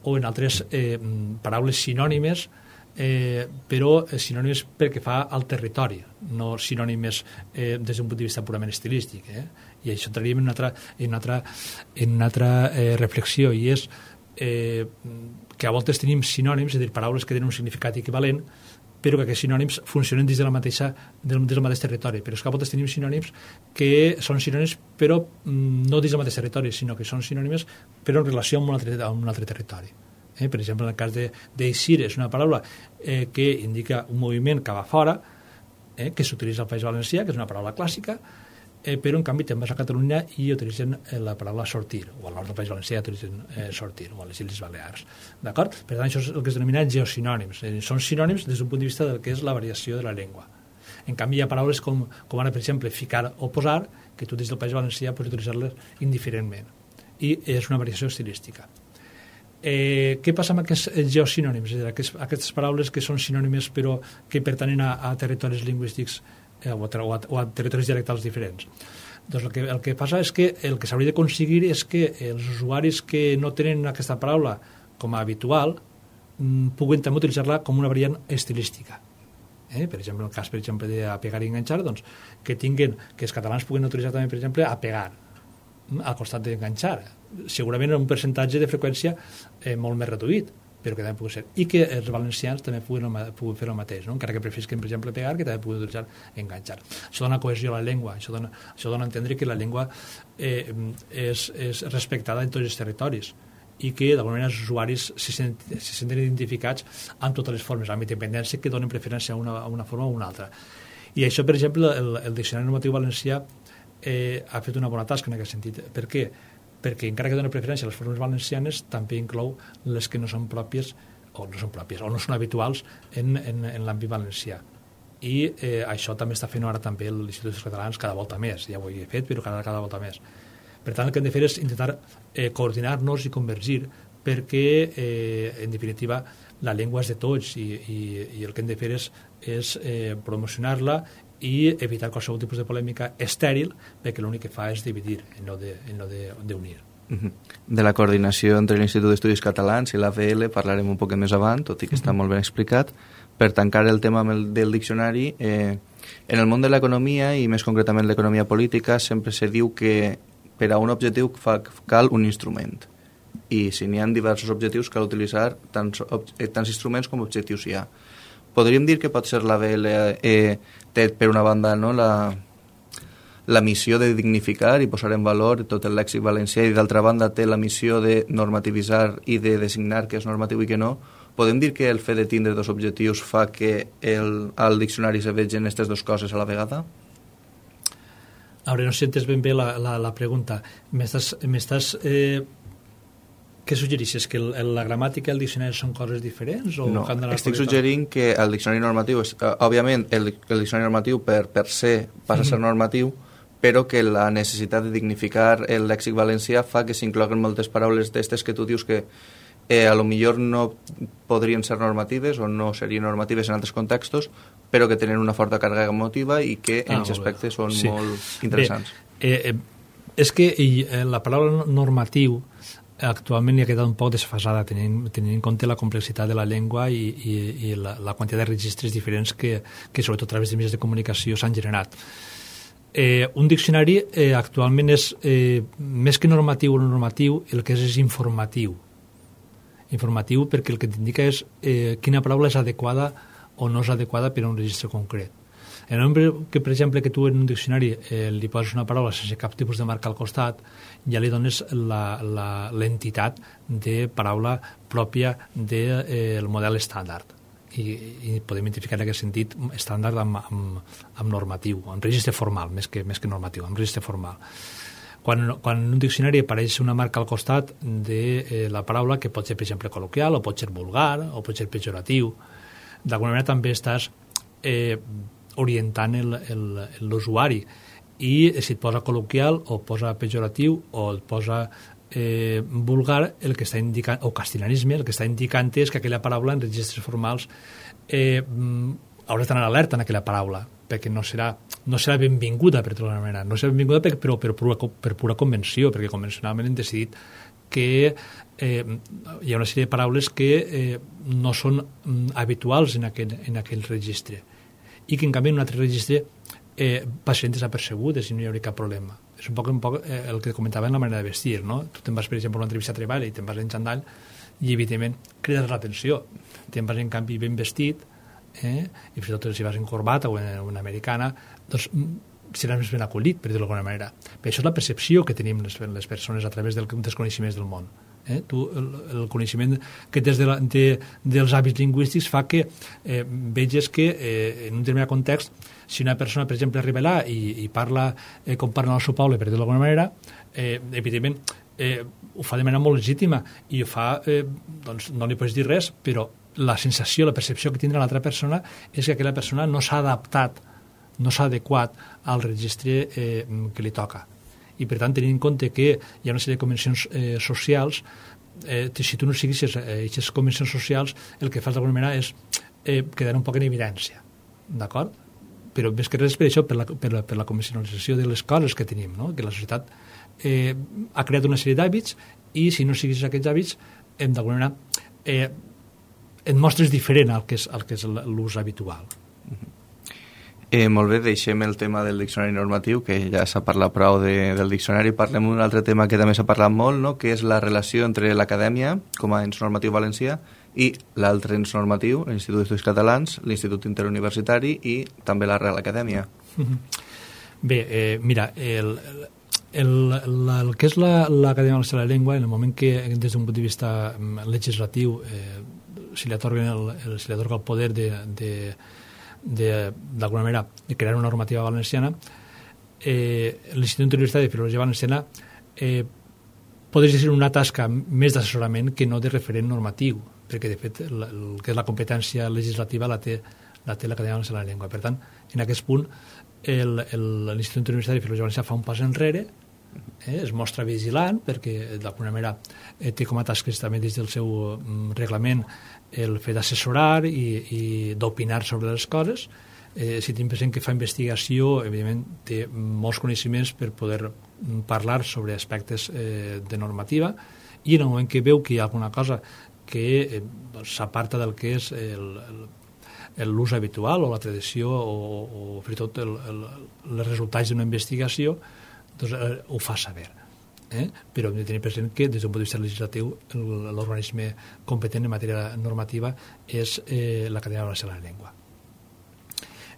o en altres eh, paraules sinònimes, eh, però sinònimes perquè fa al territori, no sinònimes eh, des d'un punt de vista purament estilístic. Eh? I això entraríem en una altra, en una altra, en una altra eh, reflexió, i és eh, que a voltes tenim sinònims, és a dir, paraules que tenen un significat equivalent, però que aquests sinònims funcionen dins, de la mateixa, del, del mateix territori. Però és que a voltes tenim sinònims que són sinònims però mm, no dins del mateix territori, sinó que són sinònims però en relació amb un altre, amb un altre territori. Eh? Per exemple, en el cas de d'eixir, és una paraula eh, que indica un moviment cap a fora, eh, que s'utilitza al País Valencià, que és una paraula clàssica, eh, però en canvi te'n vas a Catalunya i utilitzen eh, la paraula sortir, o al nord del País Valencià utilitzen eh, sortir, o a les Illes Balears. D'acord? Per tant, això és el que es denomina geosinònims. Eh, són sinònims des d'un punt de vista del que és la variació de la llengua. En canvi, hi ha paraules com, com ara, per exemple, ficar o posar, que tu des del País Valencià pots utilitzar-les indiferentment. I és una variació estilística. Eh, què passa amb aquests geosinònims? És a dir, aquests, aquestes paraules que són sinònimes però que pertanyen a, a territoris lingüístics eh, o, a, o, a, o a territoris dialectals diferents. Doncs el que, el que passa és que el que s'hauria d'aconseguir és que els usuaris que no tenen aquesta paraula com a habitual mm, puguen també utilitzar-la com una variant estilística. Eh? Per exemple, en el cas, per exemple, de pegar i enganxar, doncs, que tinguin, que els catalans puguen utilitzar també, per exemple, a pegar al costat d'enganxar, segurament en un percentatge de freqüència eh, molt més reduït, però que també pugui ser. I que els valencians també puguen, puguen fer el mateix, no? Encara que preferisquen, per exemple, pegar, que també puguen utilitzar enganxar. Això dona cohesió a la llengua, això dona, això dona a entendre que la llengua eh, és, és respectada en tots els territoris i que d'alguna manera els usuaris se senten, se senten identificats amb totes les formes, amb independència que donen preferència a una, a una forma o a una altra. I això, per exemple, el, el Diccionari Normatiu Valencià eh, ha fet una bona tasca en aquest sentit. Per què? Perquè encara que dona preferència a les formes valencianes, també inclou les que no són pròpies o no són pròpies o no són habituals en, en, en l'àmbit valencià. I eh, això també està fent ara també l'Institut d'Estudis Catalans cada volta més. Ja ho he fet, però cada, cada volta més. Per tant, el que hem de fer és intentar eh, coordinar-nos i convergir perquè, eh, en definitiva, la llengua és de tots i, i, i el que hem de fer és, és eh, promocionar-la i evitar qualsevol tipus de polèmica estèril, perquè l'únic que fa és dividir, en no d'unir. De la coordinació entre l'Institut d'Estudis Catalans i l'A V L parlarem un poc més avant, tot i que està molt ben explicat. Per tancar el tema del diccionari, eh, en el món de l'economia, i més concretament l'economia política, sempre se diu que per a un objectiu fa, cal un instrument. I si n'hi ha diversos objectius, cal utilitzar tants, tants instruments com objectius hi ha. Podríem dir que pot ser l'A V L eh, té per una banda, no, la, la missió de dignificar i posar en valor tot el lèxic valencià i d'altra banda té la missió de normativitzar i de designar què és normatiu i què no. Podem dir que el fet de tindre dos objectius fa que el, al diccionari se vegin aquestes dues coses a la vegada? A veure, no sé si entes ben bé la, la, la pregunta. M'estàs... Eh, què suggereixes? Que el, la gramàtica i el diccionari són coses diferents? O no, estic suggerint que el diccionari normatiu, és, uh, òbviament, el, el diccionari normatiu per, per ser passa a ser normatiu, però que la necessitat de dignificar el lèxic valencià fa que s'incloguen moltes paraules d'estes que tu dius que eh, a lo millor no podrien ser normatives o no serien normatives en altres contextos, però que tenen una forta càrrega emotiva i que en aquest ah, aspecte són sí. molt interessants. Bé, eh, eh, és que eh, la paraula normatiu actualment hi ha quedat un poc desfasada tenint, tenint en compte la complexitat de la llengua i, i, i la, la quantitat de registres diferents que, que sobretot a través de mitjans de comunicació s'han generat. Eh, un diccionari eh, actualment és eh, més que normatiu o no normatiu, el que és és informatiu. Informatiu perquè el que t'indica és eh, quina paraula és adequada o no és adequada per a un registre concret. En el moment que, per exemple, que tu en un diccionari eh, li poses una paraula sense cap tipus de marca al costat, ja li dones l'entitat de paraula pròpia del de, eh, model estàndard. I, i podem identificar en aquest sentit estàndard amb, amb, amb normatiu, amb registre formal, més que, més que normatiu, amb registre formal. Quan, quan en un diccionari apareix una marca al costat de eh, la paraula, que pot ser, per exemple, col·loquial, o pot ser vulgar, o pot ser pejoratiu, d'alguna manera també estàs eh, orientant l'usuari. I si et posa col·loquial, o posa pejoratiu, o et posa eh, vulgar, el que està indicant, o castellanisme, el que està indicant és que aquella paraula en registres formals eh, hauràs d'anar alerta en aquella paraula, perquè no serà, no serà benvinguda, per tota manera. No serà benvinguda per, però per pura, per pura convenció, perquè convencionalment hem decidit que eh, hi ha una sèrie de paraules que eh, no són mm, habituals en aquell, en aquell registre i que en canvi en un altre registre eh, passaran desapercebudes i no hi hauria cap problema. És un poc, un poc eh, el que comentava en la manera de vestir, no? Tu te'n vas, per exemple, a una entrevista de treball i te'n vas en xandall i, evidentment, crides l'atenció. Te'n vas, en canvi, ben vestit, eh? i fins i tot si vas en corbata o en una americana, doncs seràs més ben acollit, per dir-ho d'alguna manera. Però això és la percepció que tenim les, les persones a través del, dels coneixements del món. Eh? Tu, el, el coneixement que des de la, de, dels hàbits lingüístics fa que eh, veges que eh, en un determinat context, si una persona, per exemple, arriba allà i, i parla eh, com parla el seu poble, per dir-ho d'alguna manera, eh, evidentment eh, ho fa de manera molt legítima i ho fa, eh, doncs no li pots dir res, però la sensació, la percepció que tindrà l'altra persona és que aquella persona no s'ha adaptat, no s'ha adequat al registre eh, que li toca. I, per tant, tenint en compte que hi ha una sèrie de convencions eh, socials, eh, si tu no siguis aquestes eh, convencions socials, el que fas d'alguna manera és eh, quedar un poc en evidència, d'acord? Però més que res per això, per la, per la, per la convencionalització de les coses que tenim, no? Que la societat eh, ha creat una sèrie d'hàbits i si no siguis aquests hàbits, hem d'alguna manera eh, et mostres diferent al que és, al que és l'ús habitual. Eh, molt bé, deixem el tema del diccionari normatiu, que ja s'ha parlat prou de, del diccionari. Parlem d'un altre tema que també s'ha parlat molt, no? Que és la relació entre l'acadèmia, com a ens normatiu valencià, i l'altre ens normatiu, l'Institut d'Estudis Catalans, l'Institut Interuniversitari i també la Real Acadèmia. Bé, eh, mira, el, el, el, el que és l'Acadèmia Valenciana de la Llengua, en el moment que, des d'un punt de vista legislatiu, eh, se li atorga el, el, se li atorga el poder de... de d'alguna manera de crear una normativa valenciana, eh, l'Institut Interuniversitari de Filologia Valenciana eh, podria ser una tasca més d'assessorament que no de referent normatiu, perquè de fet el, el que és la competència legislativa la té la té l'Acadèmia Valenciana de la Llengua. Per tant, en aquest punt l'Institut Interuniversitari de Filologia Valenciana fa un pas enrere, eh, es mostra vigilant perquè d'alguna manera eh, té com a tasques també des del seu mm, reglament el fet d'assessorar i, i d'opinar sobre les coses. Eh, si tenim present que fa investigació, evidentment té molts coneixements per poder parlar sobre aspectes eh, de normativa i en el moment que veu que hi ha alguna cosa que eh, s'aparta del que és l'ús habitual o la tradició o, o fins i tot el, el, els resultats d'una investigació, doncs eh, ho fa saber. Eh? Però hem de tenir present que des d'un punt de vista legislatiu l'organisme competent en matèria normativa és eh, l'Acadèmia Valenciana de la Llengua.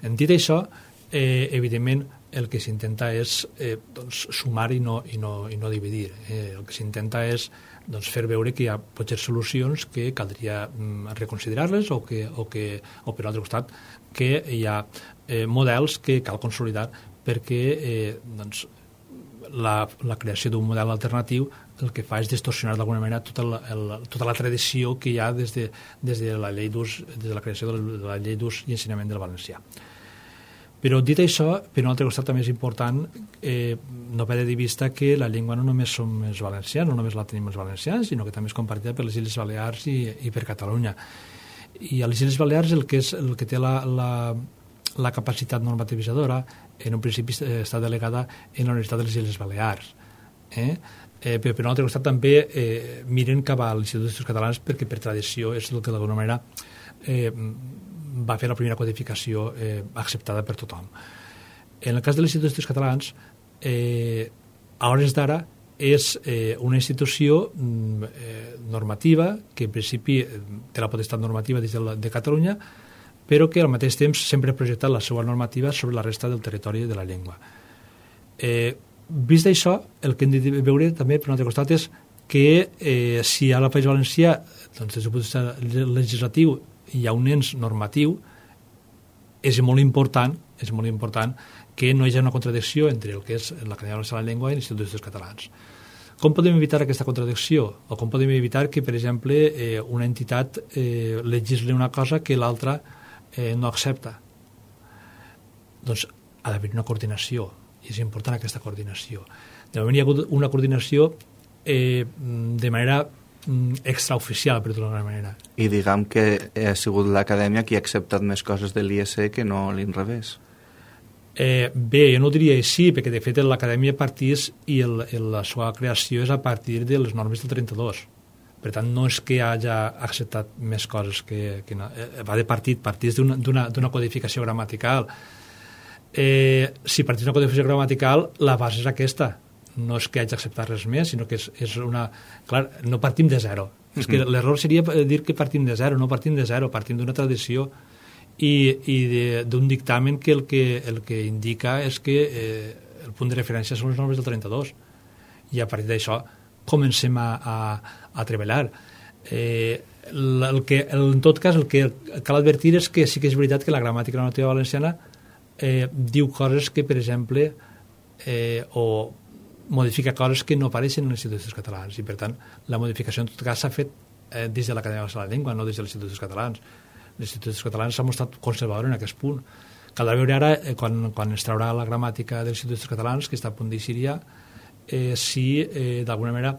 En dit això, eh, evidentment el que s'intenta és eh, doncs, sumar i no, i no, i no dividir. Eh, el que s'intenta és doncs, fer veure que hi ha potser solucions que caldria mm, reconsiderar-les o, que, o, que, o per l'altre costat que hi ha eh, models que cal consolidar perquè eh, doncs, La, la creació d'un model alternatiu el que fa és distorsionar d'alguna manera tota la, el, tota la tradició que hi ha des de, des de la llei d'ús, des de la creació de la, de la llei d'ús i ensenyament del valencià. Però dit això, per un altre costat també és important eh, no perdre de vista que la llengua no només som els valencians, no només la tenim els valencians, sinó que també és compartida per les Illes Balears i, i per Catalunya. I a les Illes Balears el que, és, el que té la, la, la capacitat normativitzadora en un principi està delegada en la Universitat de les Illes Balears. Eh? Eh, però per un altre costat també eh, miren cap a l'Institut d'Estudis Catalans perquè per tradició és el que d'alguna manera eh, va fer la primera codificació eh, acceptada per tothom. En el cas de l'Institut d'Estudis Catalans, eh, a hores d'ara és eh, una institució eh, normativa que en principi té la potestat normativa des de, la, de Catalunya, però que al mateix temps sempre ha projectat la seva normativa sobre la resta del territori de la llengua. Eh, vist això, el que hem de veure també per un altre costat és que eh, si a la País Valencià, doncs, des del punt de vista legislatiu, hi ha un ens normatiu, és molt important, és molt important que no hi hagi una contradicció entre el que és l'Acadèmia Valenciana de la Llengua i l'Institut d'Estudis Catalans. Com podem evitar aquesta contradicció? O com podem evitar que, per exemple, eh, una entitat eh, legisli una cosa que l'altra eh, no accepta? Doncs ha d'haver una coordinació, i és important aquesta coordinació. De moment hi ha hagut una coordinació eh, de manera extraoficial, per dir-ho d'alguna manera. I diguem que ha sigut l'acadèmia qui ha acceptat més coses de l'I E C que no l'inrevés. Eh, bé, jo no diria així, perquè de fet l'acadèmia partís i el, el, la seva creació és a partir de les normes del trenta-dos. Per tant, no és que hagi acceptat més coses que, que no. Eh, va de partit, partís d'una codificació gramatical. Eh, si partís d'una codificació gramatical, la base és aquesta. No és que hagi acceptat res més, sinó que és, és una... Clar, no partim de zero. Mm-hmm. És que l'error seria dir que partim de zero, no partim de zero, partim d'una tradició i, i d'un dictamen que el, que el que indica és que eh, el punt de referència són les normes del trenta-dos. I a partir d'això comencem a, a, a treballar. Eh, el que, en tot cas, el que cal advertir és que sí que és veritat que la gramàtica normativa valenciana eh, diu coses que, per exemple, eh, o modifica coses que no apareixen en els instituts catalans i, per tant, la modificació en tot cas s'ha fet eh, des de l'Acadèmia Valenciana de la Llengua, no des dels instituts catalans. Els instituts catalans s'han mostrat conservadors en aquest punt. Caldrà veure ara, eh, quan, quan es traurà la gramàtica dels instituts catalans, que està a punt d'eixir, eh, si eh, d'alguna manera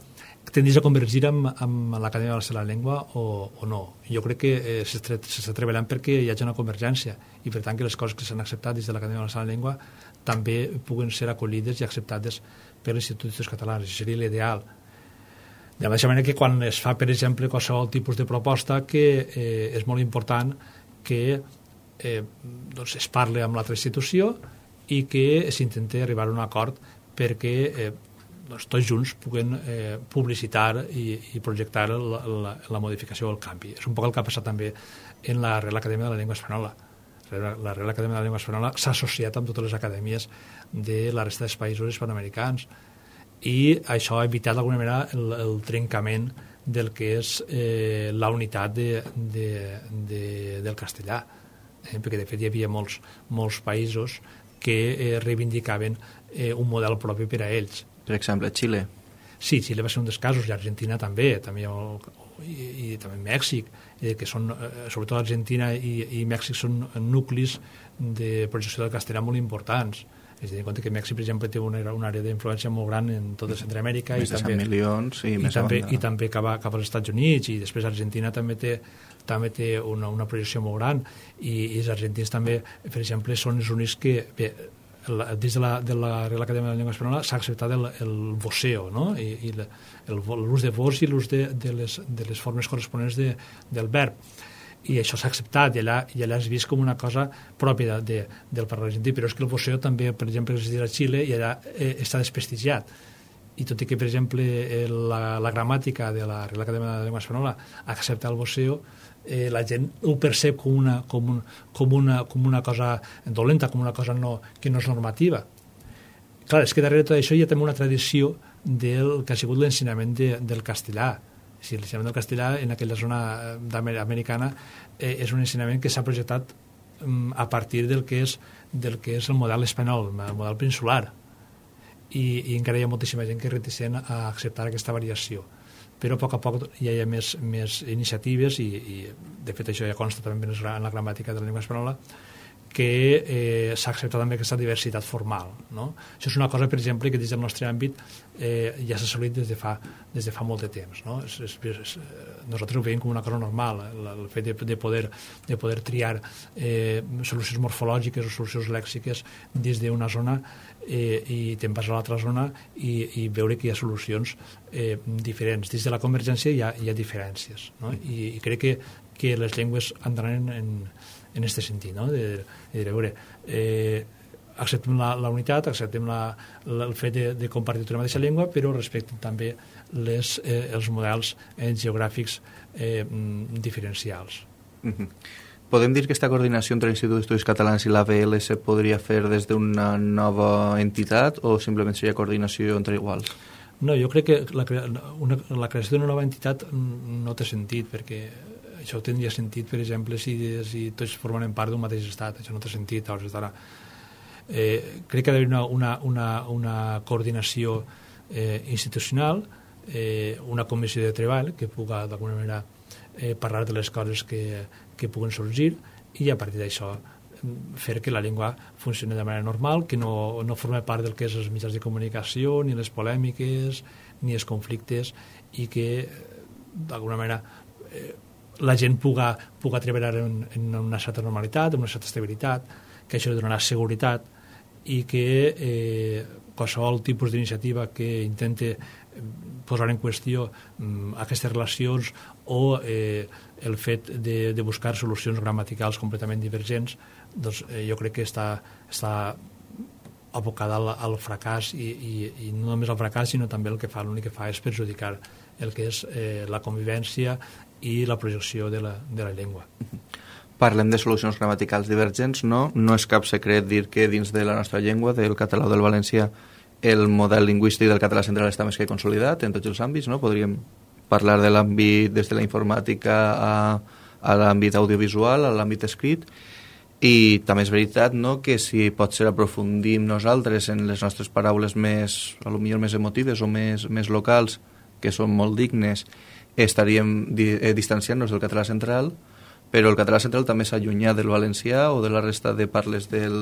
tendís a convergir amb, amb l'Acadèmia Valenciana de la Llengua o, o no. Jo crec que eh, s'està treballant perquè hi hagi una convergència i, per tant, que les coses que s'han acceptat des de l'Acadèmia Valenciana de la Llengua també puguen ser acollides i acceptades per l'Institut d'Estudis Catalans. Això seria l'ideal. De la mateixa manera que quan es fa, per exemple, qualsevol tipus de proposta, que eh, és molt important que eh, doncs es parli amb l'altra institució i que s'intenti arribar a un acord perquè eh, doncs, tots junts puguen eh, publicitar i, i projectar la, la, la modificació o el canvi. És un poc el que ha passat també en la Real Acadèmia de la Llengua Espanyola. La Real Acadèmia de la Llengua Espanyola s'ha associat amb totes les acadèmies de la resta dels països hispanoamericans i això ha evitat d'alguna manera el, el trencament del que és eh, la unitat de, de, de, del castellà, eh, perquè de fet hi havia molts, molts països que eh, reivindicaven eh, un model propi per a ells. Per exemple, Xile. Sí, Xile va ser un dels casos, i Argentina també, també el, i, i també Mèxic, eh, que són, eh, sobretot Argentina i, i Mèxic són nuclis de projecció del castellà molt importants. És a dir, en compte que Mèxic, per exemple, té una, una àrea d'influència molt gran en tota Centroamèrica. Més i de també, cent milions i, i més també, banda. i també cap, a, cap als Estats Units, i després Argentina també té, també té una, una projecció molt gran, i, i els argentins també, per exemple, són els únics que... Bé, la, des de la, de la Real Acadèmia de la Llengua Espanyola s'ha acceptat el, el voceo, no? I, i l'ús de vos i l'ús de, de, les, de les formes corresponents de, del verb. I això s'ha acceptat, i allà, i allà és vist com una cosa pròpia de, de, del parlar argentí, però és que el voceo també, per exemple, existeix a Xile i allà eh, està desprestigiat. I tot i que, per exemple, eh, la, la gramàtica de la Real Acadèmia de la Llengua Espanyola accepta el voceo, eh, la gent ho percep com una, com, un, com, una, com una cosa dolenta, com una cosa no, que no és normativa. Clar, és que darrere de tot això hi ha també una tradició del que ha sigut l'ensenyament de, del castellà. Si l'ensenyament del castellà en aquella zona americana eh, és un ensenyament que s'ha projectat um, a partir del que, és, del que és el model espanyol, el model peninsular. I, i encara hi ha moltíssima gent que és reticent a acceptar aquesta variació. Però a poc a poc ja hi ha més, més iniciatives i, i de fet això ja consta també en la gramàtica de la llengua espanyola, que eh, s'ha acceptat també aquesta diversitat formal, no? Això és una cosa, per exemple, que des del nostre àmbit eh, ja s'ha assolit des de fa, des de fa molt de temps, no? És, és, és, nosaltres ho veiem com una cosa normal, el, el fet de, de, poder, de poder triar eh, solucions morfològiques o solucions lèxiques des d'una zona eh, i te'n vas a l'altra zona i, i veure que hi ha solucions eh, diferents. Dins de la convergència hi ha, hi ha diferències, no? I, i crec que, que les llengües entraran en, en aquest sentit, no? De, de, de veure, eh, acceptem la, la unitat, acceptem la, la, el fet de, de compartir una mateixa llengua, però respectem també les, eh, els models eh, geogràfics eh, diferencials. Mm-hmm. Podem dir que aquesta coordinació entre l'Institut d'Estudis Catalans i l'A V L se podria fer des d'una nova entitat o simplement seria coordinació entre iguals? No, jo crec que la, una, la creació d'una nova entitat no té sentit, perquè això tindria sentit, per exemple, si, si tots formen part d'un mateix estat. Això no té sentit. Eh, crec que ha d'haver una, una, una, una coordinació eh, institucional, eh, una comissió de treball que pugui d'alguna manera eh, parlar de les coses que, que puguen sorgir i a partir d'això fer que la llengua funcioni de manera normal, que no, no formi part del que és els mitjans de comunicació, ni les polèmiques, ni els conflictes, i que d'alguna manera eh, la gent puga, puga treballar en, en una certa normalitat, en una certa estabilitat, que això li donarà seguretat i que eh, qualsevol tipus d'iniciativa que intente posar en qüestió um, aquestes relacions o eh, el fet de, de buscar solucions gramaticals completament divergents, doncs eh, jo crec que està, està abocada al, al fracàs i, i, i no només al fracàs, sinó també el que fa, l'únic que fa és perjudicar el que és eh, la convivència i la projecció de la, de la llengua. Parlem de solucions gramaticals divergents, no? No és cap secret dir que dins de la nostra llengua, del català o del valencià, el model lingüístic del català central està més que consolidat en tots els àmbits, no? Podríem parlar de l'àmbit des de la informàtica a, a l'àmbit audiovisual, a l'àmbit escrit, i també és veritat, no?, que si potser aprofundim nosaltres en les nostres paraules més, a lo millor més emotives o més, més locals, que són molt dignes, estaríem di, eh, distanciant-nos del català central, però el català central també s'allunya del valencià o de la resta de parles del,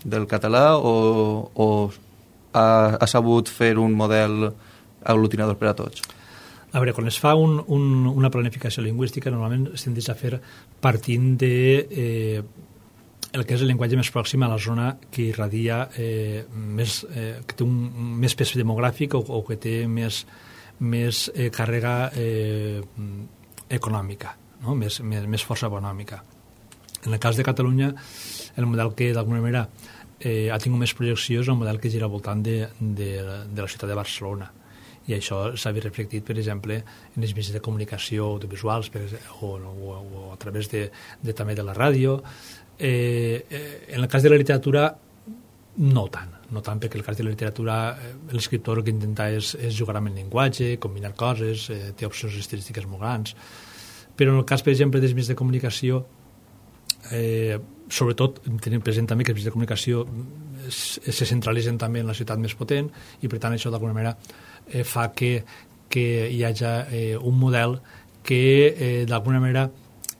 del català o, o ha, ha sabut fer un model aglutinador per a tots? A veure, quan es fa un, un, una planificació lingüística, normalment es tendeix a fer partint de eh, el que és el llenguatge més pròxim a la zona que irradia eh, més, eh, que té un més pes demogràfic o, o que té més, més eh, càrrega eh, econòmica, no? més, més, més força econòmica. En el cas de Catalunya, el model que d'alguna manera eh, ha tingut més projecció és el model que gira al voltant de, de, de la ciutat de Barcelona. I això s'ha vist reflectit, per exemple, en els mitjans de comunicació audiovisuals per exemple, o, o, o a través de, de, també de la ràdio. Eh, eh, en el cas de la literatura, no tant. No tant, perquè en el cas de la literatura l'escriptor el que intenta és, és jugar amb el llenguatge, combinar coses, eh, té opcions estilístiques molt grans. Però en el cas, per exemple, dels mitjans de comunicació, eh, sobretot tenim present també que els mitjans de comunicació se centralitzen també en la ciutat més potent i, per tant, això d'alguna manera eh, fa que, que hi hagi eh, un model que eh, d'alguna manera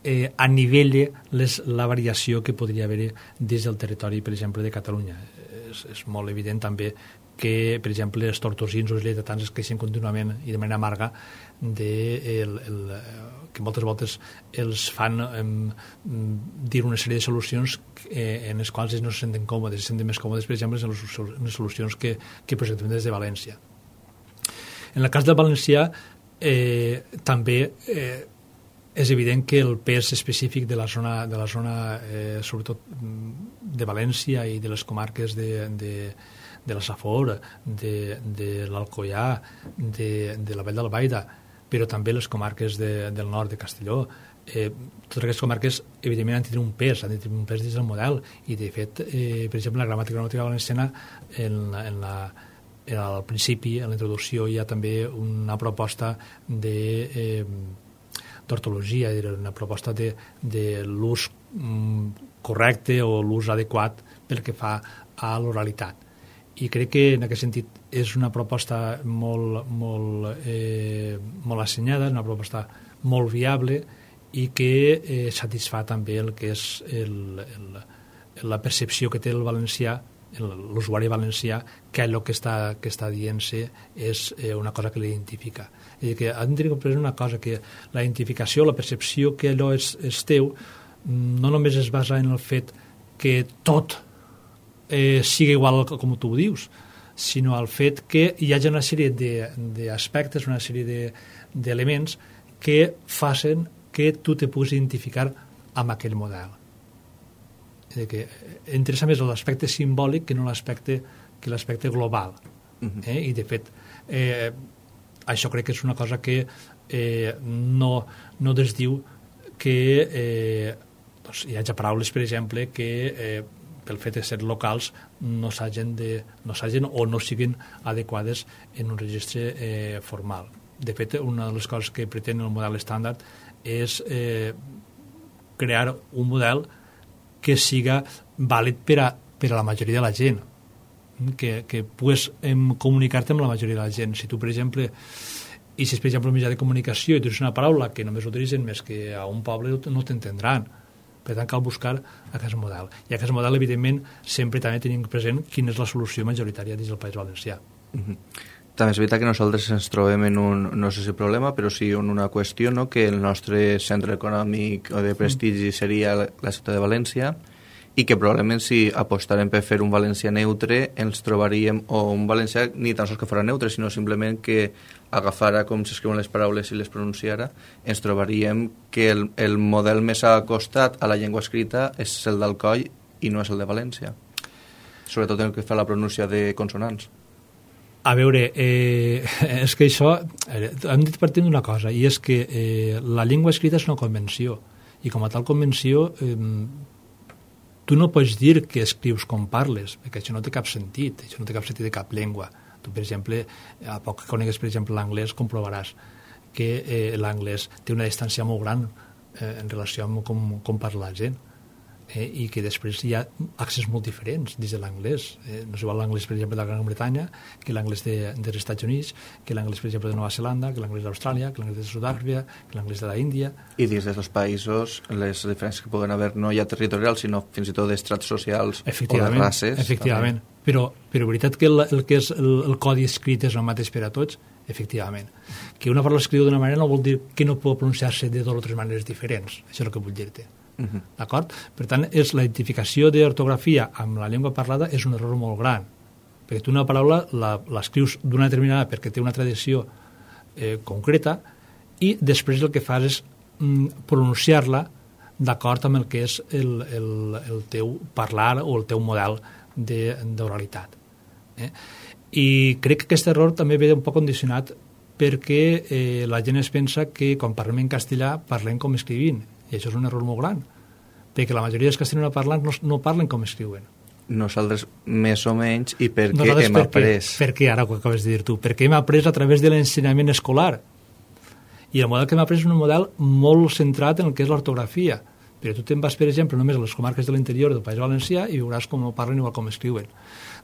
eh, anivelle les, la variació que podria haver des del territori, per exemple, de Catalunya. És, és molt evident també que, per exemple, els tortosins o els lleidatans es queixen contínuament i de manera amarga de el, el, que moltes voltes els fan eh, dir una sèrie de solucions eh, en les quals ells no se senten còmodes, se senten més còmodes, per exemple, en les solucions que, que presentem des de València. En el cas del valencià, eh, també eh, és evident que el pes específic de la zona, de la zona eh, sobretot de València i de les comarques de, de, de la Safor, de, de l'Alcoià, de, de la Vall d'Albaida, però també les comarques de, del nord de Castelló, eh, totes aquestes comarques evidentment han de tenir un pes, han de tenir un pes dins del model, i de fet, eh, per exemple, la gramàtica gramàtica valenciana en, en la al principi, en la introducció, hi ha també una proposta de eh, d'ortologia, una proposta de, de l'ús mm, correcte o l'ús adequat pel que fa a l'oralitat. I crec que en aquest sentit és una proposta molt, molt, eh, molt assenyada, una proposta molt viable i que eh, satisfà també el que és el, el, la percepció que té el valencià, l'usuari valencià, que el que està, que està dient-se és eh, una cosa que l'identifica. És dir, que han de tenir present una cosa, que la identificació, la percepció que allò és, és teu, no només es basa en el fet que tot eh, sigui igual com tu ho dius, sinó al fet que hi hagi una sèrie d'aspectes, una sèrie d'elements que facin que tu te puguis identificar amb aquell model. Que interessa més l'aspecte simbòlic que no l'aspecte que l'aspecte global. Uh-huh. eh? I de fet eh, això crec que és una cosa que eh, no, no desdiu que eh, doncs hi hagi paraules, per exemple, que eh, pel fet de ser locals no s'hagin de, no s'hagin o no siguin adequades en un registre eh, formal. De fet, una de les coses que pretén el model estàndard és eh, crear un model que siga vàlid per a, per a la majoria de la gent, que, que pugues em, comunicar-te amb la majoria de la gent. Si tu, per exemple, i si és, per exemple, un mitjà de comunicació i tu dius una paraula que només utilitzen més que a un poble, no t'entendran. Per tant, cal buscar aquest model. I aquest model, evidentment, sempre també tenim present quina és la solució majoritària dins del País Valencià. Uh-huh. També és veritat que nosaltres ens trobem en un, no sé si problema, però sí en una qüestió, no? Que el nostre centre econòmic o de prestigi seria la, la ciutat de València, i que probablement si apostarem per fer un valencià neutre ens trobaríem, o un valencià ni tan sols que fora neutre, sinó simplement que agafara com s'escriuen les paraules i les pronunciara, ens trobaríem que el, el model més acostat a la llengua escrita és el d'Alcoi i no és el de València, sobretot en el que fa la pronúncia de consonants. A veure, eh, és que això, eh, hem dit partint d'una cosa, i és que eh, la llengua escrita és una convenció, i com a tal convenció eh, tu no pots dir que escrius com parles, perquè això no té cap sentit, això no té cap sentit de cap llengua. Tu, per exemple, a poc que conegues, per exemple, l'anglès, comprovaràs que eh, l'anglès té una distància molt gran eh, en relació amb com, com parla la gent. Eh, i que després hi ha accents molt diferents dins de l'anglès. Eh, no és igual l'anglès, per exemple, de la Gran Bretanya que l'anglès de, dels Estats Units, que l'anglès, per exemple, de Nova Zelanda, que l'anglès d'Austràlia, que l'anglès de Sud-àfrica, que l'anglès de l'Índia. I dins dels països, les diferències que poden haver no ja territorials, sinó fins i tot d'estrats socials o de races. Efectivament, però, però veritat que el, el que és el, el codi escrit és el mateix per a tots, efectivament. Que una paraula escriu d'una manera no vol dir que no pot pronunciar-se de dues o tres maneres diferents, això és el que vull dir-te. Uh-huh. D'acord? Per tant, és la identificació d'ortografia amb la llengua parlada és un error molt gran, perquè tu una paraula l'escrius d'una determinada perquè té una tradició eh, concreta i després el que fas és mm, pronunciar-la d'acord amb el que és el, el, el teu parlar o el teu model d'oralitat. Eh? I crec que aquest error també ve un poc condicionat perquè eh, la gent es pensa que quan parlem en castellà parlem com escrivint, i això és un error molt gran, perquè la majoria dels castellanoparlants no, no parlen com escriuen. Nosaltres més o menys, i per què Nosaltres hem après? Per què, ara ho acabes de dir tu? Perquè hem après a través de l'ensenyament escolar. I el model que hem après és un model molt centrat en el que és l'ortografia. Però tu te'n vas, per exemple, només a les comarques de l'interior del País Valencià i veuràs com no parlen igual com escriuen.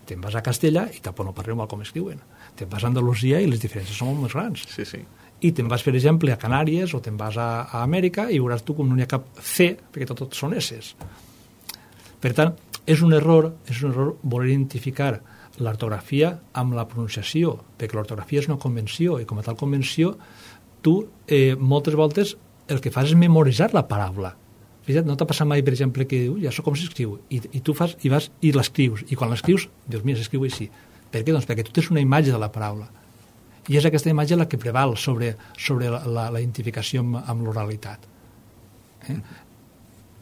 Te'n vas a Castella i tampoc no parlen igual com escriuen. Te'n vas a Andalusia i les diferències són molt més grans. Sí, sí. I te'n vas, per exemple, a Canàries o te'n vas a, a Amèrica i veuràs tu com no hi ha cap C, perquè tot, tot són S's. Per tant, és un error, és un error voler identificar l'ortografia amb la pronunciació, perquè l'ortografia és una convenció, i com a tal convenció, tu eh, moltes voltes el que fas és memoritzar la paraula. Fixa't, no t'ha passat mai, per exemple, que diu, ja això com s'escriu, i, i tu fas, i vas i l'escrius, i quan l'escrius, dius, mira, s'escriu així. Per què? Doncs perquè tu tens una imatge de la paraula. I és aquesta imatge la que preval sobre, sobre la, la, la identificació amb, amb l'oralitat. Eh?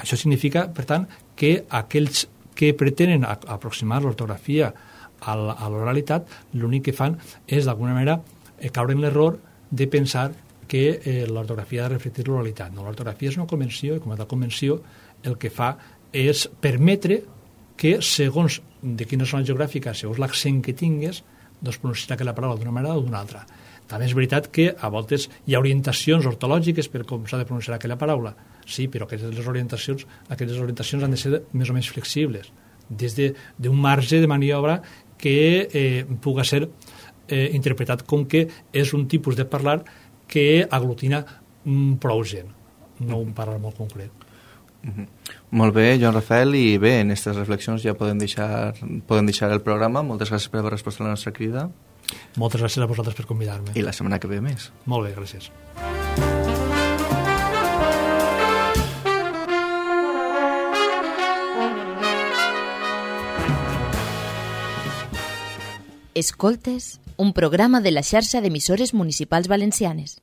Això significa, per tant, que aquells que pretenen aproximar l'ortografia a l'oralitat, l'únic que fan és, d'alguna manera, eh, caure en l'error de pensar que eh, l'ortografia ha de reflectir l'oralitat. No, l'ortografia és una convenció, i com a tal convenció el que fa és permetre que, segons de quina zona geogràfica, segons l'accent que tingues, doncs pronunciar aquella paraula d'una manera o d'una altra. També és veritat que a voltes hi ha orientacions ortològiques per com s'ha de pronunciar aquella paraula. Sí, però aquestes orientacions, aquestes orientacions han de ser més o menys flexibles, des d'un marge de maniobra que eh, pugui ser eh, interpretat com que és un tipus de parlar que aglutina mm, prou gent, no un parlar molt concret. Mm-hmm. Molt bé, Joan Rafael, i bé, en aquestes reflexions ja podem deixar, podem deixar el programa. Moltes gràcies per haver respost a la nostra crida. Moltes gràcies a vosaltres per convidar-me. I la setmana que ve més. Molt bé, gràcies. Escoltes, un programa de la xarxa d'emissores municipals valencianes.